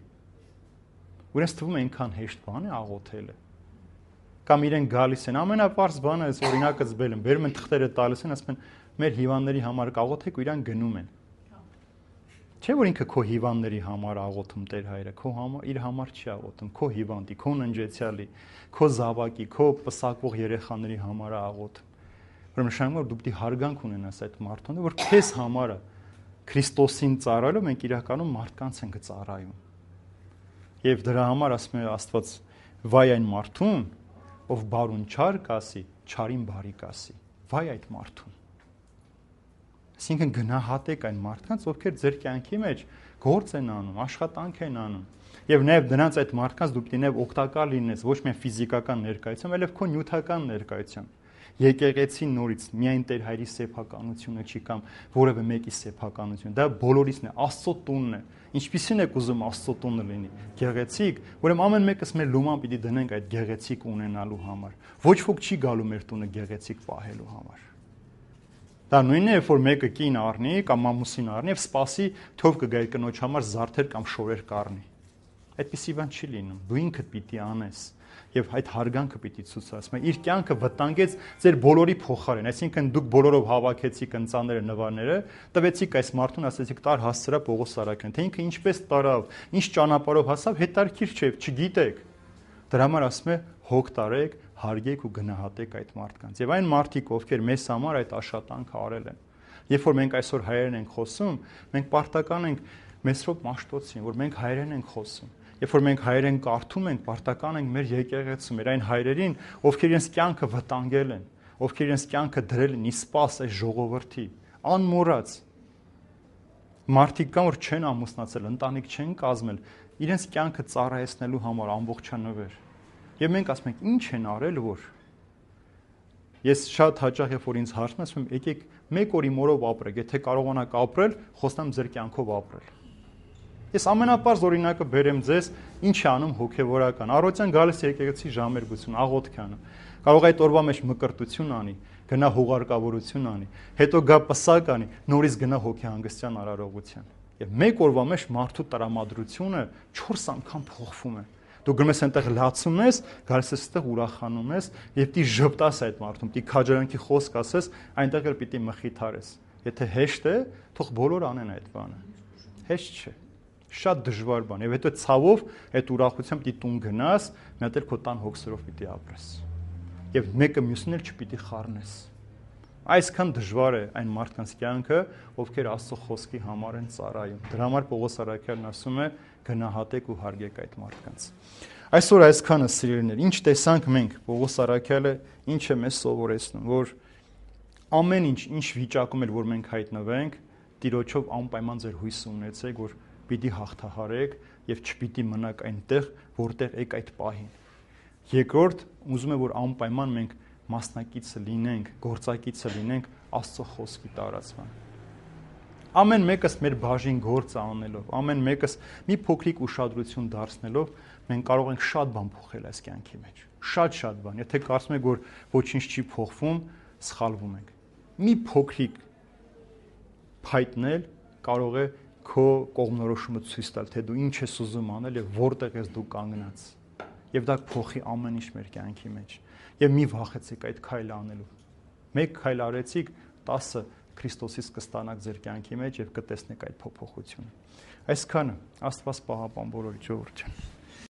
Ու իրենց թվում է այնքան հեշտ բան է աղոթելը։ Կամ իրեն գալիս են, ամենապարզ բանը էս օրինակը զբել են, բերում են թղթերը տալիս են, ասում են, մեր հիվանդների համար կաղոթեք ու իրան գնում են։ Չէ՞ որ ինքը քո հիվանդների համար աղոթում Տեր Հայրը, քո համար իր համար չի աղոթում, քո հիվանդի, քո ննջեցյալի, քո զավակի, քո պսակվող երեխաների համար է աղոթում։ Ուրեմն նշանակում է, որ դու պետք է հարգանք ունենաս այդ մարդուն, որ քեզ համար է Քրիստոսին ծառայելով մենք իրականում մարդկանց ենք ծառայում։ Եվ դրա համար ասում է Աստված. վայ այն մարդուն, ով բարուն չար կասի, չարին բարի կասի։ Վայ այդ մարդուն։ Այսինքն գնահատեք այն մարդկանց, ովքեր ձեր կյանքի մեջ գործ են անում, աշխատանք են անում։ Եվ նաև դրանց այդ մարդկանց դու պետք է նաև օգտակար լինես ոչ միայն ֆիզիկական ներկայությամբ, այլև քո նյութական ներկայությամբ։ Եկեղեցին նորից միայն Տեր Հայրի սեփականությունը չի կամ որևէ մեկի սեփականություն։ Դա բոլորիցն է, Աստծո տունն է։ Ինչպիսին եք ուզում Աստծո տունը լինի։ Գեղեցիկ, ուրեմն ամեն մեկս մեր լուման պիտի դնենք այդ գեղեցիկ ունենալու համար։ Ոչ ոք չի գալու մեր տունը գեղեցիկ պահելու համար։ Դա նույնն է, երբ որ մեկը կին առնի կամ ամուսին առնի եւ սպասի, թող կգա իր կնոջ համար զարդեր կամ շորեր կառնի։ Այդպիսի բան չի լինում։ Դու ինքդ պիտի անես եւ այդ հարգանքը պիտի ցույցաս։ Իր կյանքը վտանգեց ձեր բոլորի փոխարեն, այսինքն դուք բոլորով հավաքեցիք ընծաները, նվարները, տվեցիք այս մարդուն, ասեցիք տար հասցրա Պողոս առաքյալին, թե ինքը ինչպես տարավ, ինչ ճանապարհով հասավ, հետարքիր չէ, չգիտեք։ Դրա համար ասում է հոգ տարեք, հարգեք ու գնահատեք այդ մարդկանց։ Եվ այն մարդիկ, ովքեր մեզ համար այդ աշխատանքը արել են։ Երբ որ մենք այսօր հայերեն ենք խոսում, մենք պարտական ենք Մեսրոպ Մաշտոցին, որ մենք հայերեն ենք խոսում։ Երբ որ մենք հայերեն կարդում ենք, պարտական ենք մեր եկեղեցում, մեր այն հայրերին, ովքեր իրենց կյանքը վտանգել են, ովքեր իրենց կյանքը դրել են իսպաս այս ժողովրդի, անմոռաց։ Մարդիկ կան, որ չեն ամուսնացել, ընտանիք չեն կազմել, իրենց կյանքը ծառայեցնելու համար ամբողջանվեր։ Եվ մենք ասում ենք, ինչ են արել, որ ես շատ հաճախ երբ որ ինձ հարցնում եմ, ասում եմ, եկեք մեկ օրի մորով ապրեք, եթե կարողանաք ապրել, խոստամ ձեր կյանքով ապրել։ Ես ամենապարզ օրինակը բերեմ ձեզ, ինչ է անում հոգևորական։ Առօրյան գալիս եկեղեցի ժամերգություն, աղոթք անում։ Կարող է այդ օրվա մեջ մկրտություն անի, գնա հուղարկավորություն անի, հետո գա պսակ անի, նորից գնա հոգեհանգստյան արարողության։ Եվ մեկ օրվա մեջ մարդու տրամադրությունը չորս անգամ փոխվում է։ Դու գնում ես այնտեղ լացում ես, գալիս ես այդտեղ ուրախանում ես եւ պիտի ժպտաս այդ մարդուն, պիտի քաջարանքի խոսք ասես, այնտեղ էլ պիտի մխիթարես։ Եթե հեշտ է, թող բոլոր անեն այդ բանը։ Հեշտ չէ։ Շատ դժվար բան, եւ հետո ցավով այդ ուրախությամբ պիտի տուն գնաս, մի հատ էլ քո տան հոգսերով պիտի ապրես։ Եվ մեկը մյուսին էլ չպիտի խառնես։ Այսքան դժվար է այն մարդկանց կյանքը, ովքեր Աստծո խոսքի համար են ծառայում։ Դրա համար Պողոս առաքյալն ասում է. գնահատեք ու հարգեք այդ մարդկանց։ Այսօր այսքանը սիրելիներ, ինչ տեսանք մենք, Պողոս առաքյալը ինչ է մեզ սովորեցնում, որ ամեն ինչ, ինչ վիճակում էլ որ մենք հայտնվենք, Տիրոջով անպայման ձեր հույսը ունեցեք, որ պիտի հաղթահարեք եւ չպիտի մնաք այնտեղ, որտեղ եք այդ պահին։ Երկրորդ, ուզում եմ որ անպայման մենք մասնակիցը լինենք, գործակիցը լինենք Աստծո խոսքի տարածման։ Ամեն մեկս մեր բաժին գործը անելով, ամեն մեկս մի փոքրիկ ուշադրություն դարձնելով, մենք կարող ենք շատ բան փոխել այս կյանքի մեջ։ Շատ-շատ բան։ Եթե կարծում եք, որ ոչինչ չի փոխվում, սխալվում եք։ Մի փոքրիկ փայտնել կարող է քո կողմնորոշումը ցույց տալ, թե դու ինչ ես ուզում անել եւ որտեղ ես դու կանգնած։ Եվ դա կփոխի ամեն ինչ մեր կյանքի մեջ։ Եվ մի վախեցեք այդ քայլը անելու։ Մեկ քայլ արեցիք, տասը Քրիստոսից կստանաք ձեր կյանքի մեջ եւ կտեսնեք այդ փոփոխությունը։ Այսքանը Աստված պահապան բոլորի ժողովրդին։